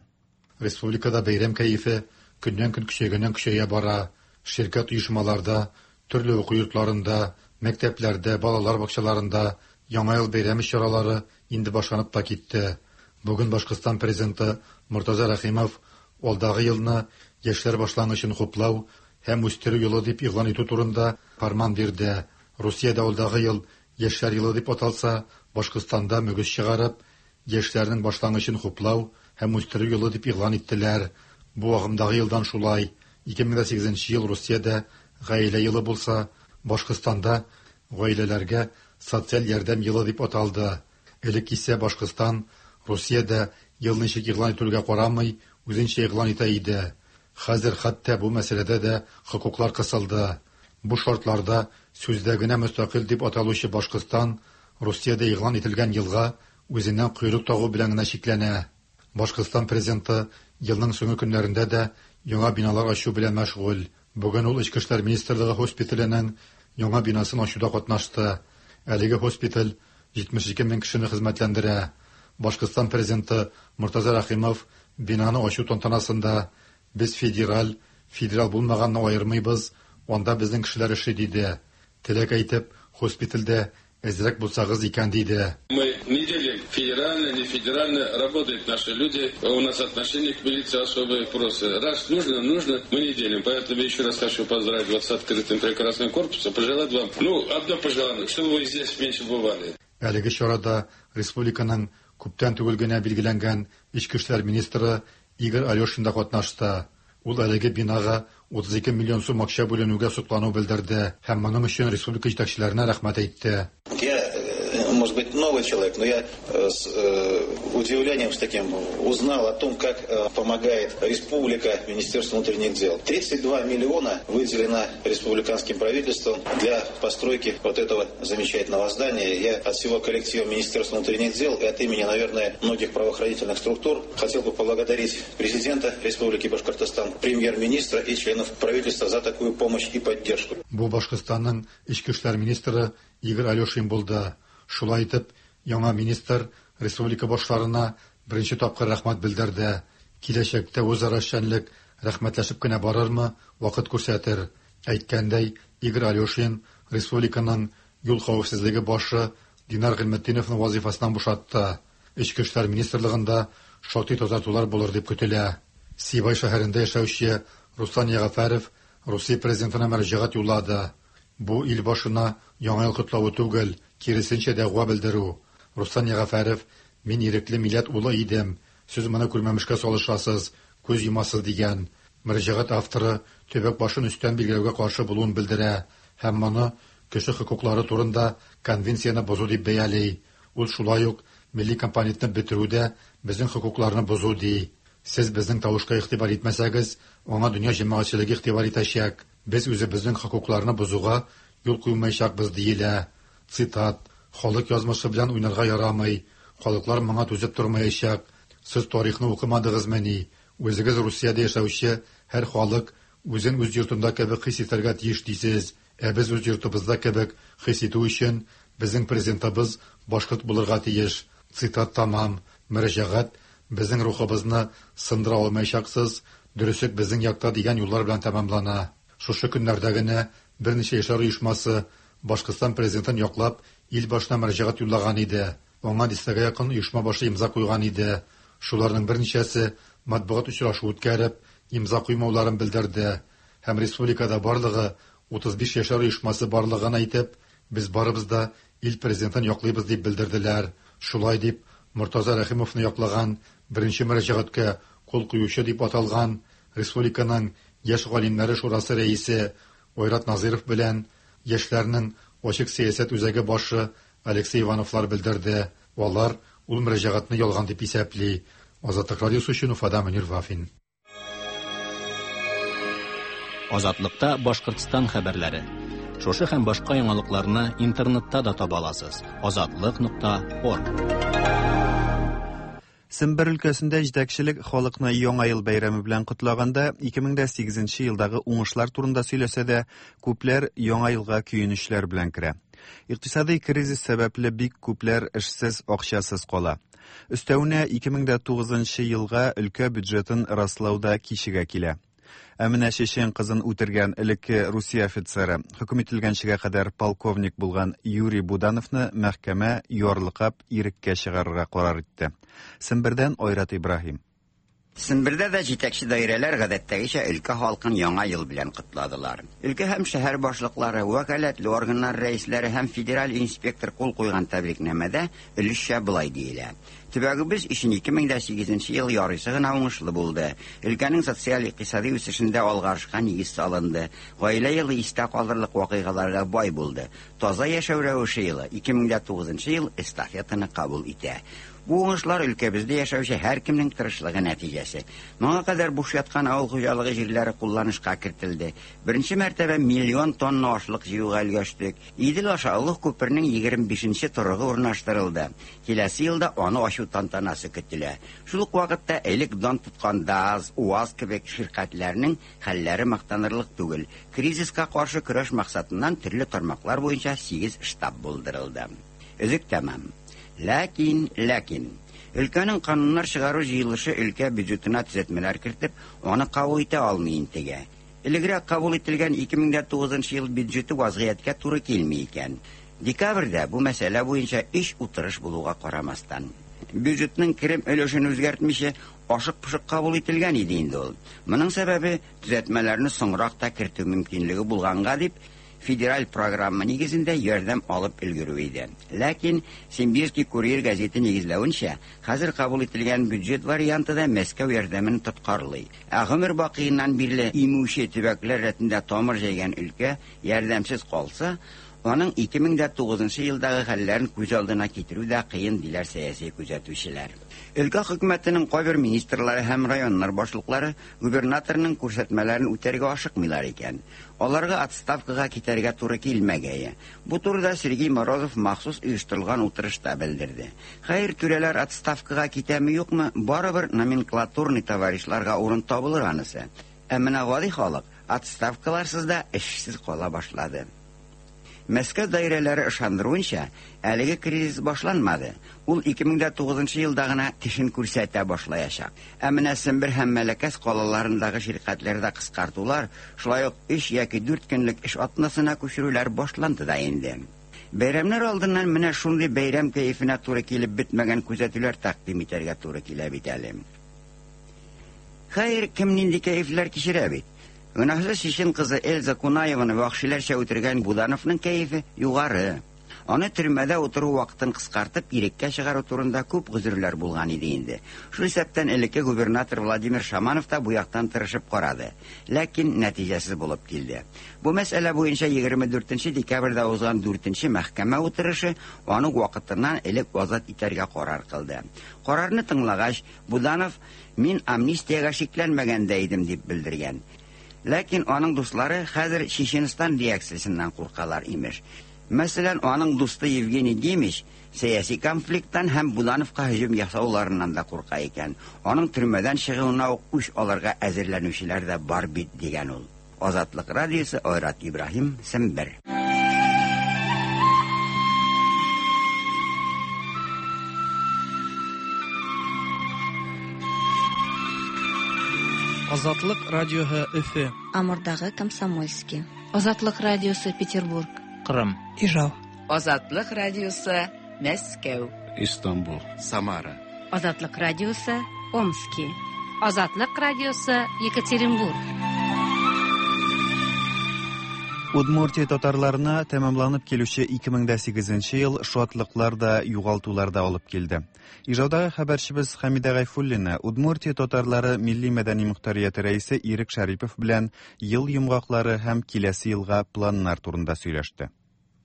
Республикада бәйрәм кәефе көннән-көн көчәйгәннән-көчәя бара. Ширкәт оешмаларда, төрле уку йортларында, мәктәпләрдә, балалар бакчаларында Яңа ел бәйрәме чаралары инде башланып та китте. Бүген Башкортстан Президенты Мортаза Рәхимов алдагы елны Яшьләр башлангычын хуплау һәм үстерү елы дип игълан итү турында фәрман бирде. Русиядә алдагы ел Яшьләр елы дип аталса, Башкортстанда мөгез чыгарып, Яшьләрнең башлангычын хуплау һәм үстерү елы дип игълан иттеләр. Бу агымдагы елдан шулай. 2008 нче ел Русиядә Гаилә елы булса, Башкортстанда Гаиләләргә социаль ярдәм елы дип аталды. Элек исә Башкортстан Русиядә ел ничек игълан ителүгә карамый, үзенчә игълан итә иде. Хәзер хәтта бу мәсьәләдә дә хокуклар кысылды. Бу шартларда сүздә генә мөстәкыйль дип аталучы Башкортстан Русиядә игълан ителгән елга үзеннән койрык тагу белән генә чикләнә. Башкортстан Президенты елның соңгы көннәрендә дә яңа биналар ачу белән мәшгуль. Бүген ул Эчке эшләр министрлыгы һоспиталенең яңа бинасын ачуда катнашты. Әлеге һоспиталь 72 мең кешене хезмәтләндерә. Башкортстан Президенты Мортаза Рәхимов бинаны ачу тантанасында, Без федераль, федераль булмаганны аермыйбыз, анда безнең кешеләр эшли, диде. Теләк әйтеп, һоспитальдә әзрәк булсагыз икән, диде. Мы не делим федеральное, не федеральное, работают наши люди, у нас отношение к милиции особое просто. Раз нужно, нужно, мы не делим. Поэтому еще раз хочу поздравить вас с открытым прекрасным корпусом, пожелать вам, ну, одно пожелание, чтобы вы здесь меньше бывали. Әлеге чарада республиканың күптән түгел генә билгеләнгән эчке эшләр министры Игорь Алешин да катнашты. Ул әлеге бинага 32 миллион сум акча бүленүгә соклану белдерде һәм моның өчен республика җитәкчеләренә рәхмәт әйтте. Я, э, может быть, новый человек, но я э, с э, удивлением с таким узнал о том, как помогает республика Министерству внутренних дел. 32 миллиона выделено республиканским правительством для постройки вот этого замечательного здания. Я от всего коллектива Министерства внутренних дел и от имени, наверное, многих правоохранительных структур хотел бы поблагодарить президента Республики Башкортостан, премьер-министра и членов правительства за такую помощь и поддержку. Бу Башкортстанның эчке эшләр министры Игорь Алешин булды. Шулай итеп, яңа министр республика башларына беренче тапкыр рәхмәт белдерде. Киләчәктә үзара эшчәнлек рәхмәтләшеп кенә барырмы, вакыт күрсәтер. Әйткәндәй, Игорь Алешин республиканың юл хәвефсезлеге башы Динар Гыйльметдиновны вазыйфасыннан бушатты. Эчке эшләр министрлыгында шактый тазартулар булыр дип көтелә. Сибай шәһәрендә яшәүче Руслан Ягъфәров Русия президентына мөрәҗәгать юллады. Бу ил башына Яңа ел котлавы түгел, киресенчә дәгъва белдерү. Руслан Ягъфәров, Мин ирекле милләт улы идем, сез моны күрмәмешкә салышасыз, күз йомасыз, дигән. Мөрәҗәгать авторы төбәк башын өстән билгеләүгә каршы булуын белдерә һәм моны кеше хокуклары турында конвенцияне бозу дип бәяли. Ул шулай ук милли компонентны бетерү дә безнең хокукларны бозу ди. Сез безнең тавышка игътибар итмәсәгез, аңа дөнья җәмәгатьчелеге игътибар итәчәк. Без үзебезнең хокукларны бозуга юл куймаячакбыз, диелә. Цитат, Халык язмышы белән уйнарга ярамый. Халыклар моңа түзеп тормаячак. Сез тарихны укымадыгызмыни? Үзегез Русиядә яшәүче һәр халык үзен үз йортында кебек хис итәргә тиеш дисез. Ә без үз йортыбызда кебек хис итү өчен безнең президентыбыз башкорт булырга тиеш. Цитат тәмам. Мөрәҗәгать Безнең рухыбызны сындыра алмаячаксыз, дөреслек безнең якта дигән юллар белән тәмамлана. Шушы көннәрдә генә берничә яшьләр оешмасы Башкортстан Президентын яклап ил башына мөрәҗәгать юллаган иде. Аңа дистәгә якын оешма башы имза куйган иде. Шуларның берничәсе матбугат очрашуы үткәреп, имза куймауларын белдерде һәм республикада барлыгы 35 яшьләр оешмасы барлыгын әйтеп, без барыбыз да ил Президентын яклыйбыз дип белдерделәр. Шулай дип, Мортаза Рәхимовны яклаган беренче мөрәҗәгатькә кул куючы дип аталган республиканың Яшь галимнәре шурасы рәисе Айрат Назыйров белән яшьләрнең Ачык сәясәт үзәге башы Алексей Ивановлар белдерде. Алар ул мөрәҗәгатьне ялган дип исәпли. Азатлык радиосы өчен Уфадан Мөнир Вафин. Азатлыкта Башкортстан хәбәрләре. Шушы һәм башка яңалыкларны интернетта да таба аласыз. Азатлык.орг. Сембер өлкәсендә җитәкчелек халыкны Яңа ел бәйрәме белән котлаганда 2008 елдагы уңышлар турында сөйләсә дә, күпләр Яңа елга көенечләр белән керә. Икътисадый кризис сәбәпле бик күпләр эшсез, акчасыз кала. Өстәвенә 2009 елга өлкә бюджетын раслау да кичегә килә. Ә менә чечен кызын үтергән элекке Русия офицеры, хөкем ителгәнчегә кадәр полковник булган Юрий Будановны мәхкәмә ярлыкап иреккә чыгарырга карар итте. Сембердән Айрат Ибраһим. Сембердә дә җитәкче даирәләр гадәттәгечә өлкә халкын Яңа ел белән котладылар. Өлкә һәм шәһәр башлыклары, вәкаләтле органнар рәисләре һәм федераль инспектор кул куйган тәбрикнамәдә өлешчә болай диелә. Төбәгебез өчен 2008 нче ел ярыйсы гына уңышлы булды. Өлкәнең социаль-икътисади үсешендә алгарышка нигез салынды. Гаилә елы истә калырлык вакыйгаларга бай булды. Таза яшәү рәвеше елы, 2009 нчы ел эстафетаны кабул итә. Бу уңышлар өлкәбездә яшәүче һәркемнең тырышлыгы нәтиҗәсе. Моңа кадәр буш яткан авыл хуҗалыгы җирләре кулланышка кертелде. Беренче мәртәбә миллион тонна ашлык җыюга өлгәштек. Идел аша олуг күпернең 25 нче торыгы урнаштырылды. Киләсе елда аны ачу тантанасы көтелә. Шул ук вакытта элек дан тоткан ДААЗ, УАЗ кебек ширкәтләрнең хәлләре мактанырлык түгел. Кризиска каршы көрәш максатыннан төрле тармаклар буенча сигез штаб булдырылды. Өзек тәмам. Ләкин, ләкин. Өлкәнең кануннар чыгару җыелышы өлкә бюджетына төзәтмәләр кертеп, аны кабул итә алмый интегә. Элегрәк кабул ителгән 2009 нчы ел бюджеты вазгыятькә туры килми икән. Декабрьдә бу мәсьәлә буенча өч утырыш булуга карамастан. Бюджетның керем өлешен үзгәртмичә, ашык-пошык кабул ителгән иде инде ул. Моның сәбәбе, төзәтмәләрне соңрак та кертү мөмкинлеге булганга дип, федераль программа нигезендә ярдәм алып өлгерү иде. Ләкин, Симбирский курьер гәзите нигезләвенчә, хәзер кабул ителгән бюджет варианты да Мәскәү ярдәмен тоткарлый. Ә гомер бакыеннан бирле имүче төбәкләр рәтендә тамыр җәйгән өлкә ярдәмсез калса, аның 2009 нчы елдагы хәлләрен күз алдына китерү дә кыен, диләр сәяси күзәтүчеләр. Өлкә хөкүмәтенең кайбер министрлары һәм районнар башлыклары губернаторның күрсәтмәләрен үтәргә ашыкмыйлар икән. Аларга отставкага китәргә туры килмәгәе. Бу турыда Сергей Морозов махсус оештырылган утырышта белдерде. Хәер, түрәләр отставкага китәме-юкмы, барыбер номенклатурный товарищларга урын табылыр анысы. Ә менә гади халык отставкаларсыз да эшсез кала башлады. Мәскәү даирәләре ышандыруынча, әлеге кризис башланмады, ул 2009 нчы елда гына тешен күрсәтә башлаячак. Ә менә Сембер һәм Мәләкәс калаларындагы ширкәтләрдә кыскартулар, шулай ук өч яки дүрт көнлек эш атнасына күчерүләр башланды да инде. Бәйрәмнәр алдыннан менә шундый бәйрәм кәефенә туры килеп бетмәгән күзәтүләр тәкъдим итәргә туры килә бит әле. Хәер, кем нинди кәефләр кичерә бит. Гөнаһсыз чечен кызы Эльза Кунаеваны вәхшиләрчә үтергән Будановның кәефе югары. Аны төрмәдә утыру вакытын кыскартып, иреккә чыгару турында күп гозерләр булган иде инде. Шул исәптән элекке губернатор Владимир Шаманов та бу яктан тырышып карады. Ләкин нәтиҗәсез булып килде. Бу мәсьәлә буенча 24 нче декабрьдә узган дүртенче мәхкәмә утырышы аны вакытыннан элек азат итәргә карар кылды. Карарны тыңлагач, Буданов, Мин амнистиягә шикләнмәгән дә идем, дип белдергән. Ләкин аның дуслары хәзер Чеченстан реакциясеннән куркалар, имеш. Мәсәлән, аның дусты Евгений Демич сәяси конфликттан һәм Будановка һөҗүм ясауларыннан да курка икән. Аның төрмәдән чыгуына ук үч алырга әзерләнүчеләр дә бар бит, дигән ул. Азатлык радиосы, Айрат Ибраһим, Сембер. Азатлык радиоһы Өфе. Амурдагы Комсомольский. Азатлык радиосы Петербург. Кырым. Ижау. Азатлык радиосы Мәскәү. Истанбул. Самара. Азатлык радиосы Омски. Азатлык радиосы Екатеринбург. Удмуртия татарларына тәмамланып килүче 2008 ел шатлыклар да, югалтулар да алып килде. Ижаудагы хәбәрчебез Хәмидә Гайфуллина Удмуртия татарлары милли-мәдәни мохтарияте рәисе Ирек Шәрипов белән ел йомгаклары һәм киләсе елга планнар турында сөйләште.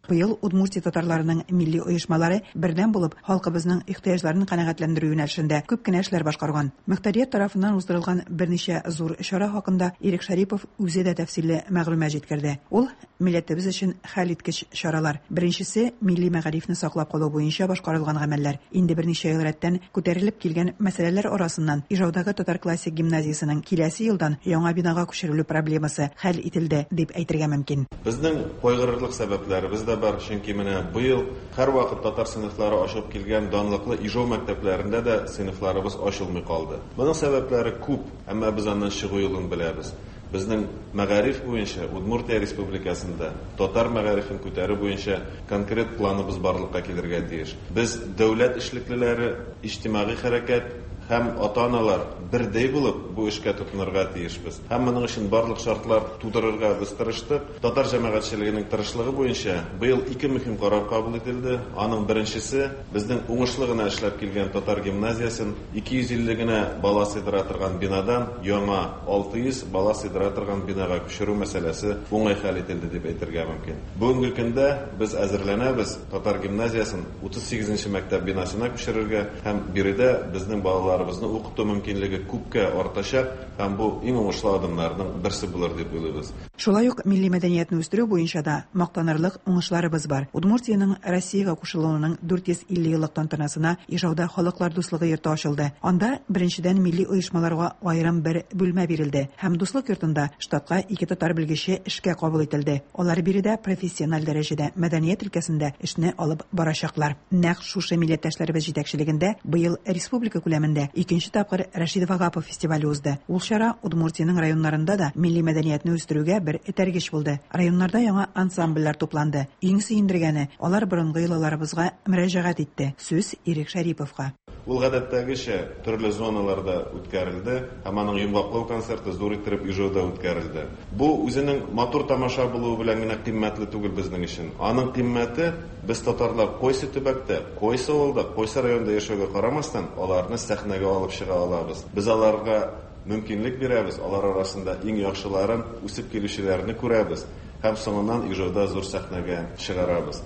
Быел Удмуртия татарларының милли оешмалары бердәм булып, халкыбызның ихтыяҗларын канәгатьләндерү юнәлешендә күп кенә эшләр башкарган. Мөхтәрият тарафыннан уздырылган берничә зур чара хакында Ирек Шәрипов үзе дә тәфсилле мәгълүмат җиткерде. Ул, милләтебез өчен хәлиткеч чаралар. Беренчесе, милли мәгарифне саклап калу буенча башкарылган гамәлләр. Инде берничә ел рәттән күтәрелеп килгән мәсьәләләр арасыннан Ижаудагы татар классик гимназиясенең киләсе елдан яңа бинага күчерелү проблемасы хәл ителде, дип әйтергә мөмкин. Безнең кайгырырлык сәбәпләребез дә бар, чөнки менә быел һәрвакыт татар сыйныфлары ачылып килгән данлыклы Ижау мәктәпләрендә дә сыйныфларыбыз ачылмый калды. Моның сәбәпләре күп, әмма без аннан чыгу юлын беләбез. Безнең мәгариф буенча Удмуртия Республикасында татар мәгарифен күтәрү буенча конкрет планыбыз барлыкка килергә тиеш. Без дәүләт эшлеклеләре, иҗтимагый хәрәкәт һәм ата-аналар бердәй булып бу эшкә тотынырга тиешбез. Һәм моның өчен барлык шартлар тудырырга без тырыштык. Татар җәмәгатьчелегенең тырышлыгы буенча быел ике мөһим карар кабул ителде. Аның беренчесе, безнең уңышлы гына эшләп килгән татар гимназиясен 250 генә бала сыйдыра торган бинадан яңа 600 бала сыйдыра торган бинага күчерү мәсьәләсе уңай хәл ителде дип әйтергә мөмкин. Бүгенге көндә без әзерләнәбез татар гимназиясен 38 нче мәктәп бинасына күчерергә һәм биредә безнең балаларыбызны укыту мөмкинлеге күпкә артачак һәм бу иң уңышлы адымнарның берсе булыр дип уйлыйбыз. Шулай ук милли мәдәниятне үстерү буенча да мактанырлык уңышларыбыз бар. Удмуртиянең Россиягә кушылуының 450 еллык тантанасына Ижауда Халыклар дуслыгы йорты ачылды. Анда, беренчедән, милли оешмаларга аерым бер бүлмә бирелде һәм Дуслык йортында штатка ике татар белгече эшкә кабул ителде. Алар биредә профессиональ дәрәҗәдә мәдәният өлкәсендә эшне алып барачаклар. Нәкъ шушы милләттәшләребез җитәкчелегендә быел республика күләмендә икенче тапкыр Рәшит Вагапов фестивале узды. Ул чара Удмуртиянең районнарында да милли мәдәниятне үстерүгә бер этәргеч булды. Районнарда яңа ансамбльләр тупланды. Иң сөендергәне, алар борынгы йолаларыбызга мөрәҗәгать итте. Сүз Ирек Шәриповка. Ул гадәттәгечә төрле зоналарда үткәрелде һәм аның йомгаклау концерты зур иттереп Ижауда үткәрелде. Бу үзенең матур тамаша булуы белән генә кыйммәтле түгел безнең өчен. Аның кыйммәте, без татарлар кайсы төбәктә, кайсы авылда, кайсы районда яшәүгә карамастан, аларны сәхнәгә алып чыга алабыз. Без аларга мөмкинлек бирәбез, алар арасында иң яхшыларын, үсеп килүчеләрне күрәбез һәм соңыннан Ижауда зур сәхнәгә чыгарабыз.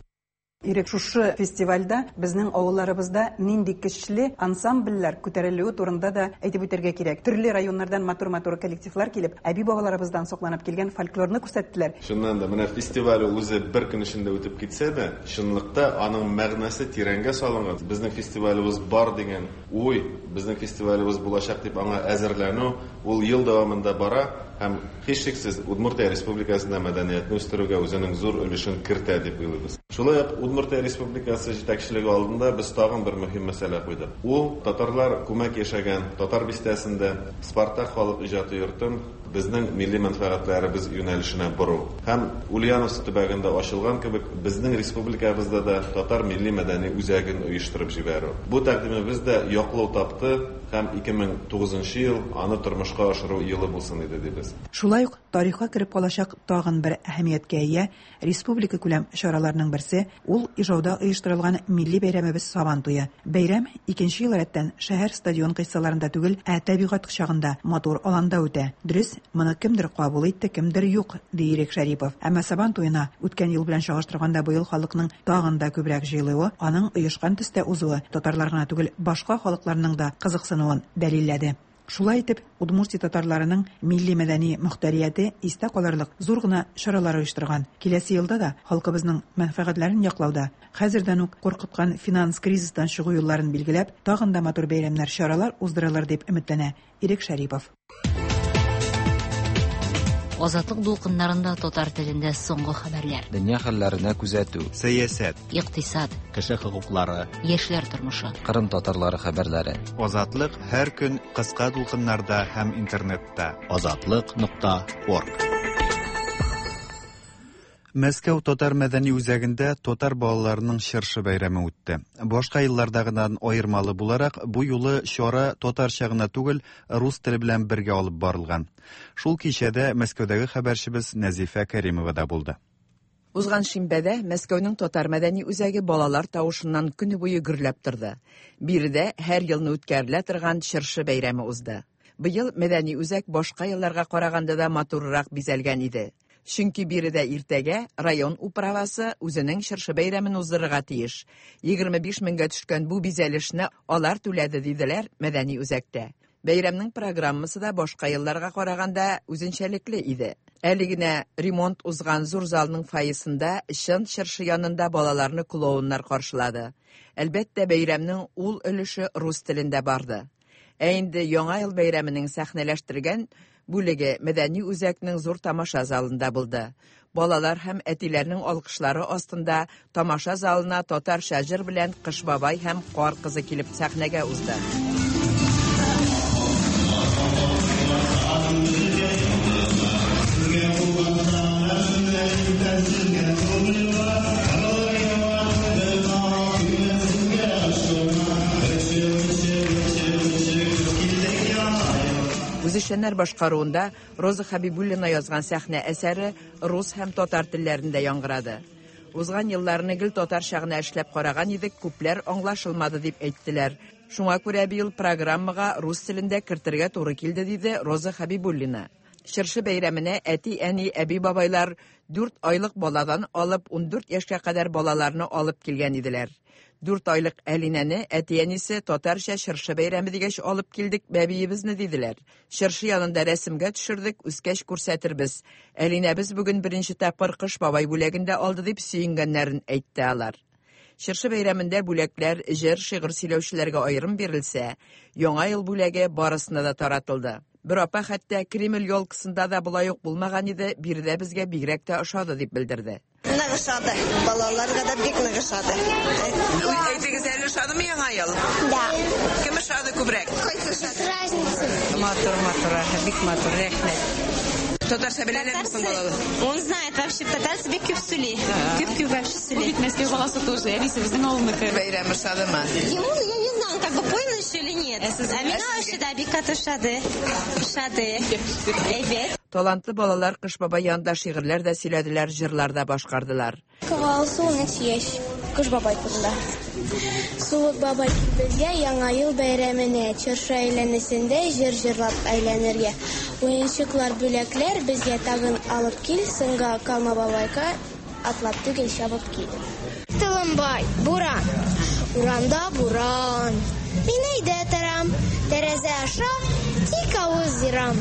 Ирек, шушы фестивальдә безнең авылларыбызда нинди көчле ансамбльләр күтәрелүе турында да әйтеп үтәргә кирәк. Төрле районнардан матур-матур коллективлар килеп, әби-бабаларыбыздан сакланып килгән фольклорны күрсәттеләр. Чыннан да, менә фестиваль ул үзе бер көн эчендә үтеп китсә дә, чынлыкта аның мәгънәсе тирәнгә салынган. Безнең фестивалебез бар дигән уй, безнең фестивалебез булачак дип аңа әзерләнү, ул ел дәвамында бара һәм, һичшиксез, Удмуртия Республикасында мәдәниятне үстерүгә үзенең зур өлешен кертә дип уйлыйбыз. Шулай ук Удмуртия Республикасы җитәкчелеге алдында без тагын бер мөһим мәсьәлә куйдык. Ул, татарлар күмәк яшәгән Татар бистәсендә Спартак халык иҗаты йортын безнең милли мәнфәгатьләребез юнәлешенә бору. Һәм Ульяновск төбәгендә ачылган кебек, безнең республикабызда да татар милли-мәдәни үзәген оештырып җибәрү. Бу тәкъдимебез дә яклау тапты һәм 2009 нчы ел аны тормышка ашыру елы булсын иде дибез. Шулай ук тарихка кереп калачак тагын бер әһәмияткә ия Республикакүләм чараларның берсе, ул Ижауда оештырылган милли бәйрәмебез Сабан туе. Бәйрәм икенче ел рәттән шәһәр стадион кыйссаларында түгел, ә табигать кочагында, матур аланда үтә. Дөрес, моны кемдер кабул итте, кемдер юк, ди Ирек Шәрипов. Әмма Сабан туена үткән ел белән чагыштырганда быел халыкның тагын да күбрәк җыелуы, аның оешкан төстә узуы татарлар гына түгел, башка халыкларның да кызыксынуын дәлилләде. Шулай итеп, Удмуртия татарларының милли-мәдәни мохтәрияте истә калырлык зур гына чаралар оештырган. Киләсе елда да халкыбызның мәнфәгатьләрен яклауда, хәзердән үк куркыткан финанс кризистан чыгу юлларын билгеләп, тагын да матур бәйрәмнәр, чаралар уздырылыр дип өметләнә Ирек Шәрипов. Азатлык дулкыннарында татар телендә соңгы хәбәрләр. Дөнья хәлләренә күзәтү. Сәясәт. Икътисад. Кеше хокуклары. Яшьләр тормышы. Кырым татарлары хәбәрләре. Азатлык һәр көн кыска дулкыннарда һәм интернетта. Азатлык нокта орг. Мәскәү татар мәдәни үзәгендә татар балаларының чыршы бәйрәме үтте. Башка еллардагыдан аермалы буларак, бу юлы чара татарча гына түгел, рус теле белән бергә алып барылган. Шул кичәдә Мәскәүдәге хәбәрчебез Нәзифә Кәримова да булды. Узган шимбәдә Мәскәүнең татар мәдәни үзәге балалар тавышыннан көне буе гөрләп торды. Биредә һәр елны үткәрелә торган чыршы бәйрәме узды. Быел мәдәни үзәк башка елларга караганда да матуррак бизәлгән иде. Чөнки биредә иртәгә район управасы үзенең чыршы бәйрәмен уздырырга тиеш. 25 меңгә төшкән бу бизәлешне алар түләде, диделәр мәдәни үзәктә. Бәйрәмнең программасы да башка елларга караганда үзенчәлекле иде. Әле генә ремонт узган зур залның фойесында чын чыршы янында балаларны клоуннар каршылады. Әлбәттә, бәйрәмнең ул өлеше рус телендә барды. Ә инде Яңа ел бәйрәменең сәхнәләштергән бүлеге мәдәни үзәкнең зур тамаша залында булды. Балалар һәм әтиләрнең алкышлары астында тамаша залына татарча җыр белән Кыш бабай һәм Кар кызы килеп сәхнәгә узды. Үзешчәннәр башкаруында Роза Хәбибуллина язган сәхнә әсәре рус һәм татар телләрендә яңгырады. Узган елларны гел татарча гына эшләп караган идек, күпләр аңлашылмады дип әйттеләр. Шуңа күрә быел программага рус телен дә кертергә туры килде, диде Роза Хәбибуллина. Чыршы бәйрәменә әти-әни, әби-бабайлар дүрт айлык баладан алып 14 яшькә кадәр балаларны алып килгән иделәр. Дүрт айлык Әлинәне әти-әнисе татарча чыршы бәйрәме дигәч алып килдек бәбиебезне диделәр. Чыршы янында рәсемгә төшердек, үскәч күрсәтербез. Әлинәбез бүген беренче тапкыр Кыш бабай бүләген дә алды дип сөенгәннәрен әйтте алар. Чыршы бәйрәмендә бүләкләр җыр, шигырь сөйләүчеләргә аерым бирелсә, Яңа ел бүләге барысына да таратылды. Бер апа хәтта Кремль елкасында да болай ук булмаган иде, биредә безгә бигрәк тә ошады дип белдерде. Нык ошады. Балаларга да бик нык ошады. Әйтегез әле, ошадымы Яңа ел? Да. Кем ошады күбрәк? Кайсы ошады? Разница. Матур, матур, бик матур, рәхмәт. Татарча беләләрме соң балалар? Он знает вообще татарча бик күп сөйли. Күп күп вообще сөйли. Бу бит Мәскәү баласы тоже, әнисе безнең авылныкы. Бәйрәм ошадымы? Ему, я не знаю, он как бы понял еще или нет. Ә миңа вообще да бик каты ошады. Ошады. Әйбәт. Талантлы балалар Кыш бабай янында шигырьләр дә сөйләделәр, җырлар да башкардылар. Алсу, 13 яшь. Кыш бабай турында. Суык бабай безгә Яңа ел бәйрәменә, чыршы әйләнәсендә җыр җырлап әйләнергә. Уенчыклар, бүләкләр безгә тагын алып кил, соңга калма бабайка, атлап түгел, чабып кил. Толымбай, буран. Урамда буран. Мин өйдә торам, тәрәзә аша тик авыз ерам.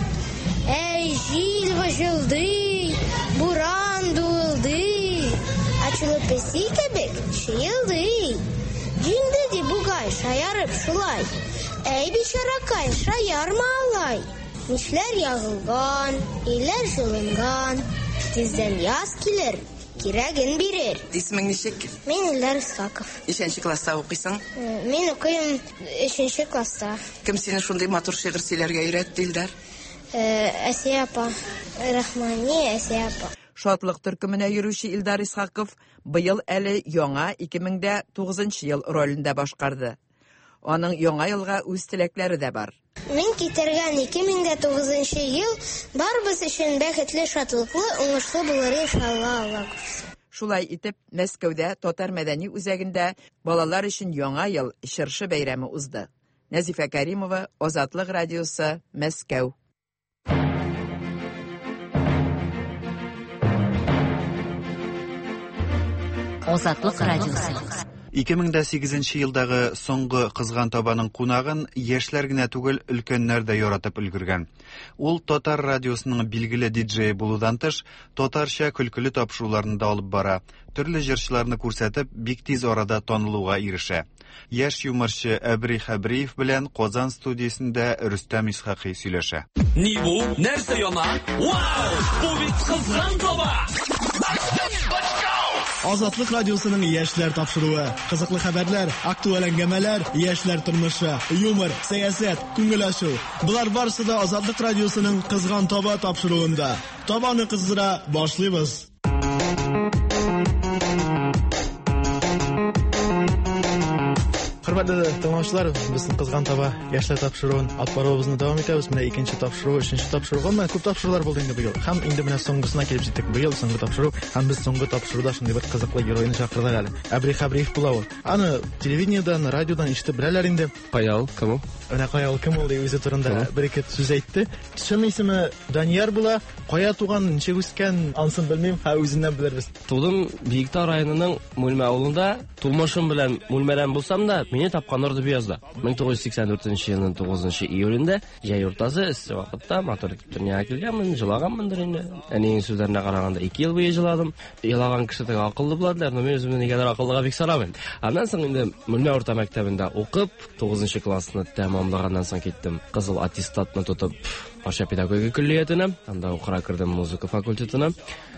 Әй, җил выжылдый, буран дуылдый. Ачулы песи кебек чыелдый. Җиңде ди бугай, шаярып шулай. Әй, бичаракай, шаярма алай. Мичләр ягылган, өйләр җылынган. Тиздән яз килер, кирәген бирер. Исемең ничек? Мин Илдар Исхаков. Ничәнче класста укыйсың? Мин укыйм өченче класста. Кем сине шундый матур шигырь сөйләргә өйрәтте, Илдар? Әсия апа. Рахмани Әсия апа. Шатлык төркеменә йөрүче Илдар Исхаков быел әле яңа 2009 ел ролен дә башкарды. Аның яңа елга үз теләкләре дә бар. Мин китергән 2009 ел барыбыз өчен бәхетле, шатлыклы, уңышлы булыр иншалла, Алла кушса. Шулай итеп, Мәскәүдә Татар мәдәни үзәгендә балалар өчен Яңа ел чыршы бәйрәме узды. Нәзифә Кәримова, Азатлык радиосы, Мәскәү. Азатлык радиосы. 2008 елдагы соңгы кызган табаның кунагын яшьләр генә түгел, өлкәннәр дә яратып өлгергән. Ул татар радиосының билгеле диджее булудан тыш, татарча көлкеле тапшыруларны да алып бара, төрле җырчыларны күрсәтеп, бик тиз арада танылуга ирешә. Яшь юморчы Әбри Хәбриев белән Казан студиясендә Рөстәм Исхакый сөйләшә. Ни бу? Нәрсә яна? Вау! Бу бит кызган таба! Азатлык радиосының яшьләр тапшыруы. Кызыклы хәбәрләр, актуаль әңгәмәләр, яшьләр тормышы, юмор, сәясәт, күңел ачу. Болар барысы да Азатлык радиосының Кызган таба тапшыруында. Табаны кыздыра башлыйбыз. Хөрмәтле тыңлаучылар, без Кызган таба яшьләр тапшыруын алып баруыбызны дәвам итәбез. Менә икенче тапшыру, өченче тапшыру. Гомумән, күп тапшырулар булды инде быел. Һәм инде менә соңгысына килеп җиттек. Быел соңгы тапшыру һәм без соңгы тапшыруда шундый бер кызыклы геройны чакырдык әле. Әбри Хәбриев була ул. Аны телевидениедән, радиодан ишетеп беләләр инде. Кая ул, кем ул? Менә кая ул, кем ул дип үзе турында бер ике сүз әйтте. Чын исеме Данияр була. Кая туган, ничек үскән, ансын белмим, һә үзеннән белербез. Тудым Биектау районының Мүлмә авылында. Тумышым белән Мүлмәдән булсам да, мине тапканнар Дөбъязда. 1984 елның 9 июлендә, җәй уртасы, эссе вакытта, матур итеп дөньяга килгәнмен, җылаганмындыр инде. Әниең сүзләренә караганда, 2 ел буе җыладым. Елаган кеше теге акыллы була диләр, но мин үземне нигәдер акыллыга бик санамыйм. Аннан соң инде Мүлмә урта мәктәбендә укып, 9 классны тәмамлаганнан соң киттем. Кызыл аттестатны тотып, Арча педагогика көллиятенә, анда укырга кердем музыка факультетына.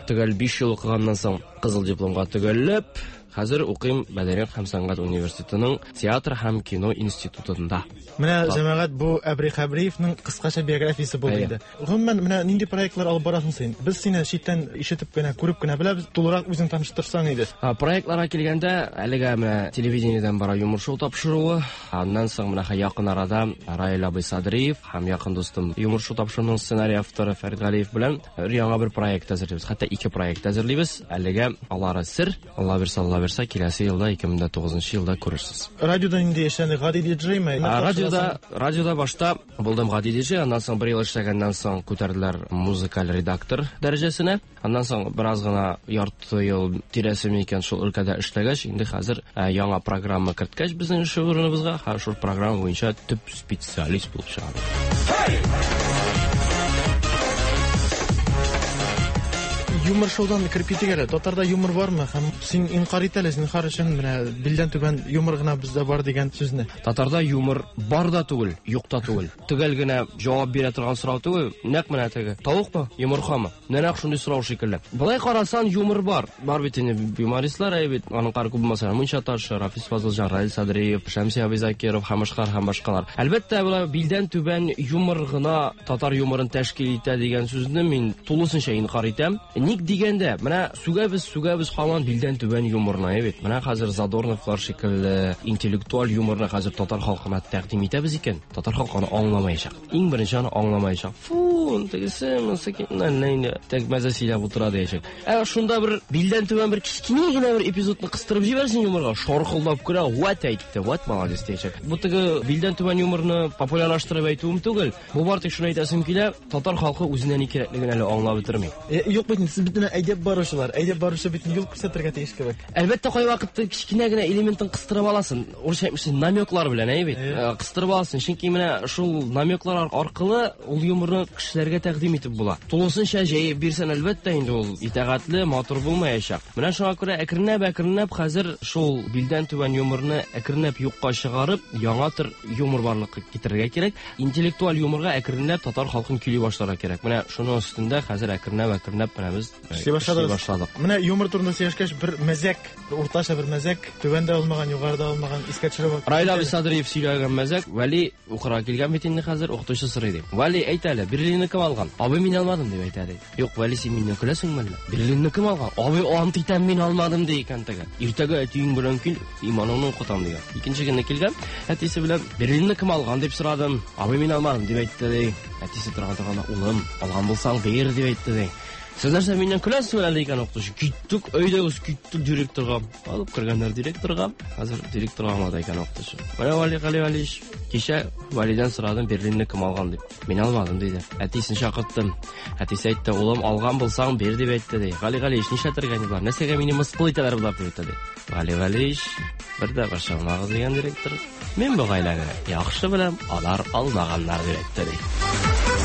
Төгәл 5 ел укыганнан соң кызыл дипломга төгәлләп, хәзер укыйм Мәдәният һәм сәнгать университетының театр һәм кино институтында. Менә җәмәгать бу Әбри Хәбриевның кыскача биографиясе булды инде. Гомумән, менә нинди проектлар алып барасың син? Без сине читтән ишетеп кенә, күреп кенә беләбез. Тулырак үзең таныштырсаң иде. Проектларга килгәндә, әлегә менә телевидениедән бара Юмор шоу тапшыруы. Аннан соң менә якын арада Раил абый Садриев һәм якын дустым Юмор шоу тапшыруының сценарий авторы Фәрит Галиев белән бер яңа бер проект әзерлибез. Хәтта ике проект әзерлибез. Әлегә алары сер. Алла бирсә, Алла бирсә, киләсе елда, 2009 елда күрерсез. Радиода нинди эшләнде? Гади диджейме? Радиода, радиода башта булдым гади диджей, аннан соң бер ел эшләгәннән соң күтәрделәр музыкаль редактор дәрәҗәсенә. Аннан соң бераз гына ярты ел тирәсе микән шул өлкәдә эшләгәч, инде хәзер яңа программа керткәч безнең эш урыныбызга, һәм шул программа буенча төп специалист булып чыгам. Юмор шоудан кереп китик әле. Татарда юмор бармы? Һәм син инкар ит әле, зинһар өчен, менә билдән түбән юмор гына бездә бар дигән сүзне. Татарда юмор бар да түгел, юк та түгел. Төгәл генә җавап бирә торган сорау түгел, нәкъ менә теге. Тавыкмы, йомыркамы? Нәкъ шундый сорау шикелле. Болай карасан, юмор бар. Бар бит инде юмористлар, әй бит, аның кар күп булмаса, Мунча Ташы, Рафис Фазылҗан, Раил Садриев, Шәмси абый Закиров һәм башкалар һәм башкалар. Әлбәттә, болай билдән түбән юмор гына татар юморын тәшкил итә дигән сүзне мин тулысынча инкар итәм. Ник дигәндә, менә сүгәбез, сүгәбез һаман билдән түбән юморны, әй бит. Менә хәзер Задорновлар шикелле интеллектуаль юморны хәзер татар халкына тәкъдим итәбез икән, татар халкы аны аңламаячак. Иң беренче аны аңламаячак. Фу, тегесе, монысы әллә инде тәк мәзә сөйләп утыра диячәк. Ә шунда бер билдән түбән бер кечкенә генә бер эпизодны кыстырып җибәрсен юморга, шаркылдап көлә, вәт әйтте, вәт молодец диячәк. Бу теге билдән түбән юморны популярлаштырып әйтүем түгел. Бу бар тик шуны әйтәсем килә, татар халкы үзенә ни кирәклеген әле аңлап бетерми. Юк бит, сез бит менә әйдәп баручылар, әйдәп баручы бит юл күрсәтергә тиеш кебек. Әлбәттә, кайвакытта кечкенә генә элементын кыстырып аласың. Урысча әйтмешли, намеклар белән, әйе бит. Кыстырып аласың, чөнки менә шул намеклар аркылы ул юморны кешеләргә тәкъдим итеп була. Тулысынча җәеп бирсәң, әлбәттә, инде ул итагатьле, матур булмаячак. Менә шуңа күрә әкренләп-әкренләп хәзер шул билдән түбән юморны әкренләп юкка чыгарып, яңа төр юмор барлыкка китерергә кирәк. Интеллектуаль юморга әкренләп татар халкын көйли башларга кирәк. Менә шуның өстендә хәзер әкренләп-әкренләп менә без эшли башладык. Менә юмор турында сөйләшкәч, бер мәзәк, уртача бер мәзәк, түбән дә булмаган, югары да булмаган, искә төшереп. Раил абый Садриев сөйләгән мәзәк, Вәли укырга килгән бит инде хәзер, укытучы сорый ди. Вәли, әйт әле, Берлинны кем алган? Абый, мин алмадым, дип әйтә ди. Юк, Вәли, син миннән көләсеңме әллә? Берлинны кем алган? Абый, ант итәм, мин алмадым, ди икән теге. Иртәгә әтиең белән кил, иманыңны укытам, дигән. Икенче көнне килгән, әтисе белән Берлинны кем алган дип сорадым. Абый, мин алмадым, дип әйтте ди. Әтисе торган торганда, улым, алган булсаң, бир, дип әйтте ди. Сез нәрсә миннән көләсезме әле икән укытучы? Киттек, әйдәгез, киттек директорга. Алып кергәннәр директорга. Хәзер директорга аңлата икән укытучы. Менә Вали Гали Валиевич, кичә Валидән сорадым, Берлинны кем алган дип. Мин алмадым, диде. Әтисен чакырттым. Әтисе әйтте, улым, алган булсаң, бир дип әйтте, ди. Гали Галиевич, нишләтергә инде болар? Нәрсәгә мине мыскыл итәләр болар дип әйтте, ди. Гали Галиевич, бер дә борчылмагыз дигән директор. Мин бу гаиләне яхшы беләм, алар алмаганнар дип әйтте, ди.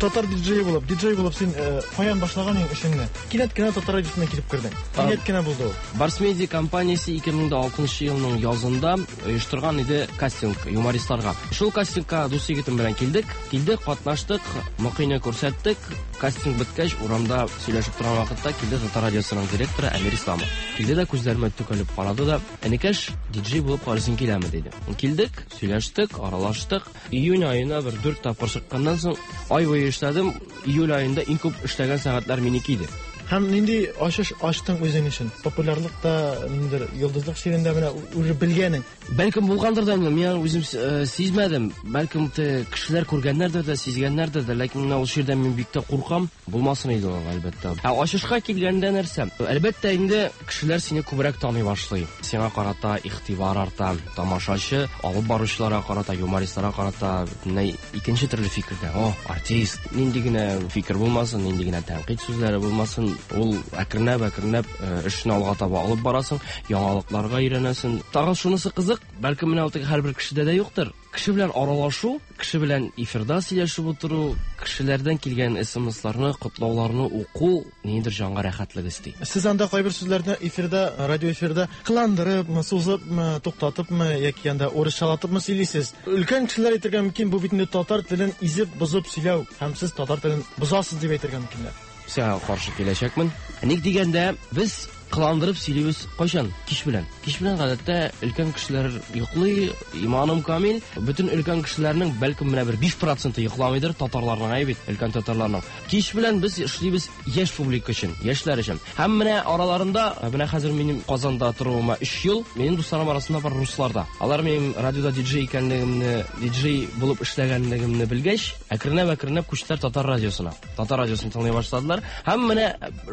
Татар диджее булып, диджей булып син э, каян башлаган идең эшеңне? Кинәт кенә татар радиосына килеп кердең. Кинәт кенә булды ул. Барс Медиа компаниясе 2006 елның язында оештырган иде кастинг юмористларга. Шул кастингка дус егетем белән килдек. Килдек, катнаштык, Мокыйны күрсәттек. Кастинг беткәч, урамда сөйләшеп торган вакытта килде Татар радиосының директоры Әмир Исламов. Килде дә күзләремә төкәлеп карады да, "Энекәш, диджей булып карыйсың киләме?" диде. Килдек, сөйләштек, аралаштык. Июнь аена бер 4 тапкыр чыкканнан соң, ай буе эшләдем. Июль аенда иң күп эшләгән сәгатьләр минеке иде. Һәм нинди ачыш ачтың үзең өчен? Популярлык та, ниндидер йолдызлык чирендә менә уже белгәнең. Бәлкем булгандыр да инде, мин аны үзем э, сизмәдем. Бәлкем те кешеләр күргәннәрдер дә, сизгәннәрдер дә, ләкин менә ул чирдән мин бик тә куркам. Булмасын иде ул, әлбәттә. Ә ачышка килгәндә нәрсә? Әлбәттә инде кешеләр сине күбрәк таный башлый. Сиңа карата игътибар арта. Тамашачы алып баручыларга карата, юмористларга карата бөтенләй икенче төрле фикердә. О, артист! Нинди генә фикер булмасын, нинди генә тәнкыйть сүзләре булмасын, ул әкренләп-әкренләп э, эшне алга таба алып барасың, яңалыкларга өйрәнәсең. Тагын шунысы кызык, бәлкем менә ул теге һәрбер кешедә дә юктыр. Кеше белән аралашу, кеше белән эфирда сөйләшеп утыру, кешеләрдән килгән смсларны, котлауларны уку ниндидер җанга рәхәтлек өсти. Сез анда кайбер сүзләрне эфирда, радио эфирда кыландырыпмы, сузыпмы, туктатыпмы яки анда урысчалатыпмы сөйлисез. Өлкән кешеләр әйтергә мөмкин, бу бит инде татар телен изеп, бозып сөйләү һәм сез татар телен бозасыз дип әйтергә мөмкиннәр. Сиңа каршы киләчәкмен. Ник дигәндә, без кыландырып сөйлибез кайчан? Кич белән. Кич белән гадәттә өлкән кешеләр йоклый, иманым камил. Бөтен өлкән кешеләрнең бәлкем менә бер 5% йокламыйдыр, татарларның әйе бит, өлкән татарларның. Кич белән без эшлибез яшь публика өчен, яшьләр өчен. Һәм менә араларында, менә хәзер минем Казанда торуыма 3 ел, минем дусларым арасында бар руслар да. Алар минем радиода диджей икәнлегемне, диджей булып эшләгәнлегемне белгәч, әкренләп-әкренләп күчтеләр татар радиосына. Татар радиосын тыңлый башладылар. Һәм менә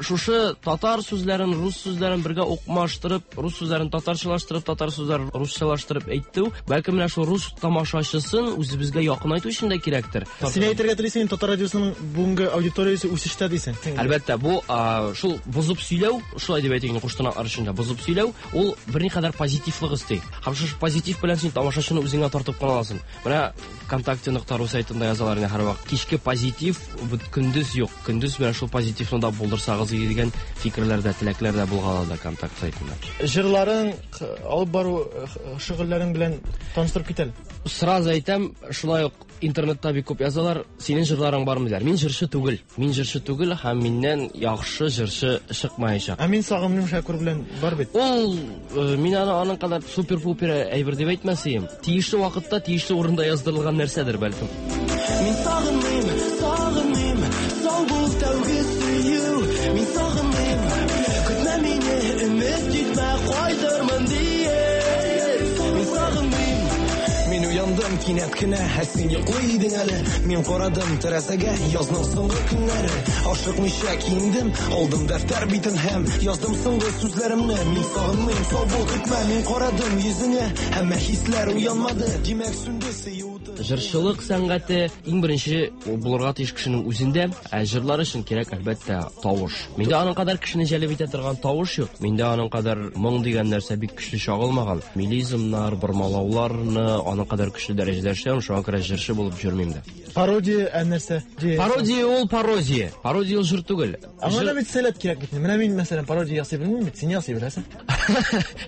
шушы татар сүзләрен, рус сүзләрен бергә укмаштырып, рус сүзләрен татарчалаштырып, татар сүзләрен русчалаштырып әйтү, бәлкем менә шул рус тамашачысын үзебезгә якынайту өчен дә кирәктер. Син әйтергә телисең, татар радиосының бүгенге аудиториясе үсештә дисең. Әлбәттә, бу шул бозып сөйләү, шулай дип әйтик инде куштанаклар өчен дә бозып сөйләү, ул берникадәр позитивлык өсти. Һәм шушы позитив белән син тамашачыны үзеңә тартып кала аласың. Менә ВКонтакте нокта ру сайтында язалар инде һәрвакыт. Кичке позитив, көндез юк. Көндез менә шул позитивны да булдырсагыз иде дигән фикерләр дә, теләкләр дә булган анда Контакт сайтында. Җырларың, алып бару шөгыльләрең белән таныштырып кит әле. Сразу әйтәм, шулай ук интернетта бик күп язалар, синең җырларың бармы диләр. Мин җырчы түгел. Мин җырчы түгел һәм миннән яхшы җырчы чыкмаячак. Ә мин сагындым Шәкүр белән бар бит. Ул э, мин аны аның кадәр супер-пупер әйбер дип әйтмәс идем. Тиешле вакытта, тиешле урында яздырылган нәрсәдер бәлкем. Мин сагынмыйм, сагынмыйм, сау бул тәүге сөю. Мин сагынмыйм, көтмә мине, өмет итмә, кайтырмын диеп. Мин сагынмыйм. Мин уяндым кинәт кенә, ә син йоклый идең әле. Мин карадым тәрәзәгә, язның соңгы көннәре. Ашыкмыйча киендем, алдым дәфтәр битен һәм яздым соңгы сүзләремне. Мин сагынмыйм, сау бул, көтмә, мин карадым йөзеңә, әмма хисләр уянмады. Димәк, сүнде сөю уты. Җырчылык сәнгате иң беренче булырга тиеш кешенең үзендә, ә җырлар өчен кирәк, әлбәттә, тавыш. Миндә аның кадәр кешене җәлеп итә торган тавыш юк. Миндә аның кадәр моң дигән нәрсә бик көчле чагылмаган. Мелизмнар, бормалауларны аның кадәр көчле дәрәҗәдә эшләмим, шуңа күрә җырчы булып йөрмим дә. Пародия ә нәрсә? Пародия ул пародия. Пародия ул җыр түгел. Аңа да бит сәләт кирәк бит. Менә мин, мәсәлән, пародия ясый белмим бит, син ясый беләсең.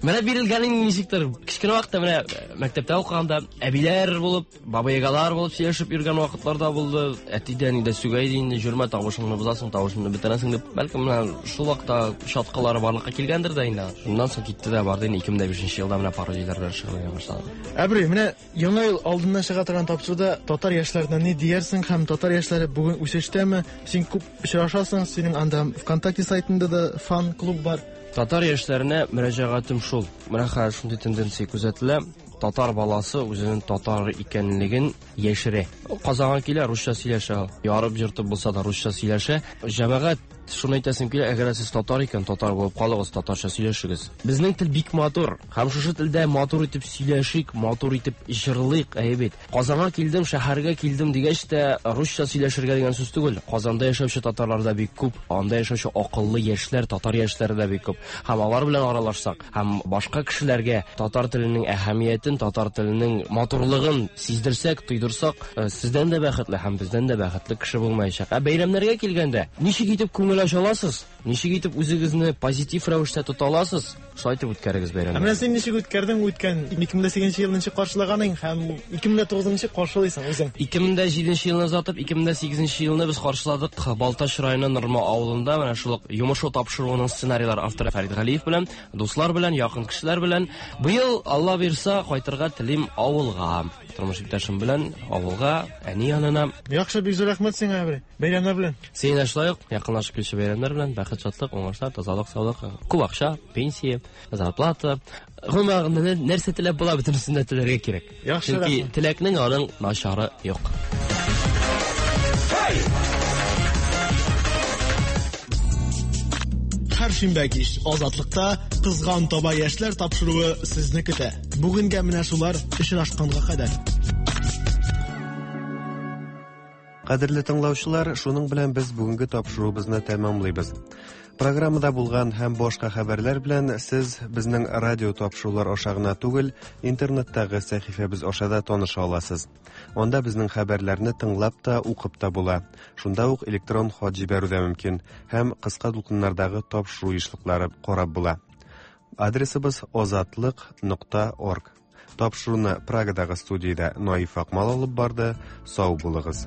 Менә бирелгәнең ничектер. Кечкенә вакытта менә мәктәптә укыганда әбиләр булып, Баба-ягалар булып сөйләшеп йөргән вакытлар да булды. Әти дә әни дә сүгә иде инде, җөрмә, тавышыңны бозасың, тавышыңны бетерәсең дип. Бәлкем менә шул вакытта чаткылары барлыкка килгәндер дә инде. Шуннан соң китте дә барды инде 2005 елда менә пародияләр белән шөгыльләнә башладым. Әбри, менә Яңа ел алдыннан чыга торган тапшыруда татар яшьләренә ни диярсең һәм татар яшьләре бүген үсештәме? Син күп очрашасың, синең анда ВКонтакте сайтында да фан-клуб бар. Татар яшьләренә мөрәҗәгатем шул. Менә хәзер шундый тенденция күзәтелә. Татар баласы үзенең татар икәнлеген яшерә. Казанга килә, русча сөйләшә. Ярып-җыртып булса да русча сөйләшә. Җәмәгать, шуны әйтәсем килә, әгәр сез татар икән, татар булып калыгыз, татарча сөйләшегез. Безнең тел бик матур. Һәм шушы телдә матур итеп сөйләшик, матур итеп җырлыйк, әйе бит. Казанга килдем, шәһәргә килдем дигәч тә, русча сөйләшергә дигән сүз түгел. Казанда яшәүче татарлар да бик күп, анда яшәүче акыллы яшьләр, татар яшьләре дә бик күп. Һәм алар белән аралашсак, һәм башка кешеләргә татар теленең әһәмиятен, татар теленең матурлыгын сиздерсәк, тойдырсак, э, сездән дә бәхетле һәм бездән дә бәхетле кеше булмаячак. Ә бәйрәмнәргә килгәндә, ничек итеп күңел ача аласыз? Ничек итеп үзегезне позитив рәвештә тота аласыз? Шулай итеп үткәрегез бәйрәмне. Ә менә син ничек үткәрдең үткән 2008 елны ничек каршылаганың һәм 2009 ничек каршылыйсың үзең? 2007 елны озатып, 2008 елны без каршыладык Балтач районы Норма авылында менә шул ук Йомышу тапшыруының сценарийлар авторы Фәрит Галиев белән, дуслар белән, якын кешеләр белән. Быел, Алла бирса, кайтырга телим авылга. Тормыш иптәшем белән авылга, әни янына. Яхшы, бик зур рәхмәт сиңа, Әбри. Бәйрәмнәр белән. Сиңа шулай ук якынлашып килүче бәйрәмнәр белән, бәхет. Бәхет, шатлык, уңышлар, тазалык, саулык, күп акча, пенсия, зарплата. Гомумән, нәрсә теләп була, бөтенесен дә теләргә кирәк. Яхшы, Чөнки рәхмәт. теләкнең аның начары юк. Һәр шимбә кич Азатлыкта Кызган таба яшьләр тапшыруы сезне көтә. Бүгенгә менә шулар очрашканга кадәр. Кадерле тыңлаучылар, шуның белән без бүгенге тапшыруыбызны тәмамлыйбыз. Программада булган һәм башка хәбәрләр белән сез безнең радио тапшырулар аша гына түгел, интернеттагы сәхифәбез аша да таныша аласыз. Анда безнең хәбәрләрне тыңлап та, укып та була. Шунда ук электрон хат җибәрү дә мөмкин һәм кыска дулкыннардагы тапшыру ешлыклары карап була. Адресыбыз озатлык.орг. Тапшыруны Прагадагы студиядә Наиф Акмал алып барды. Сау булыгыз.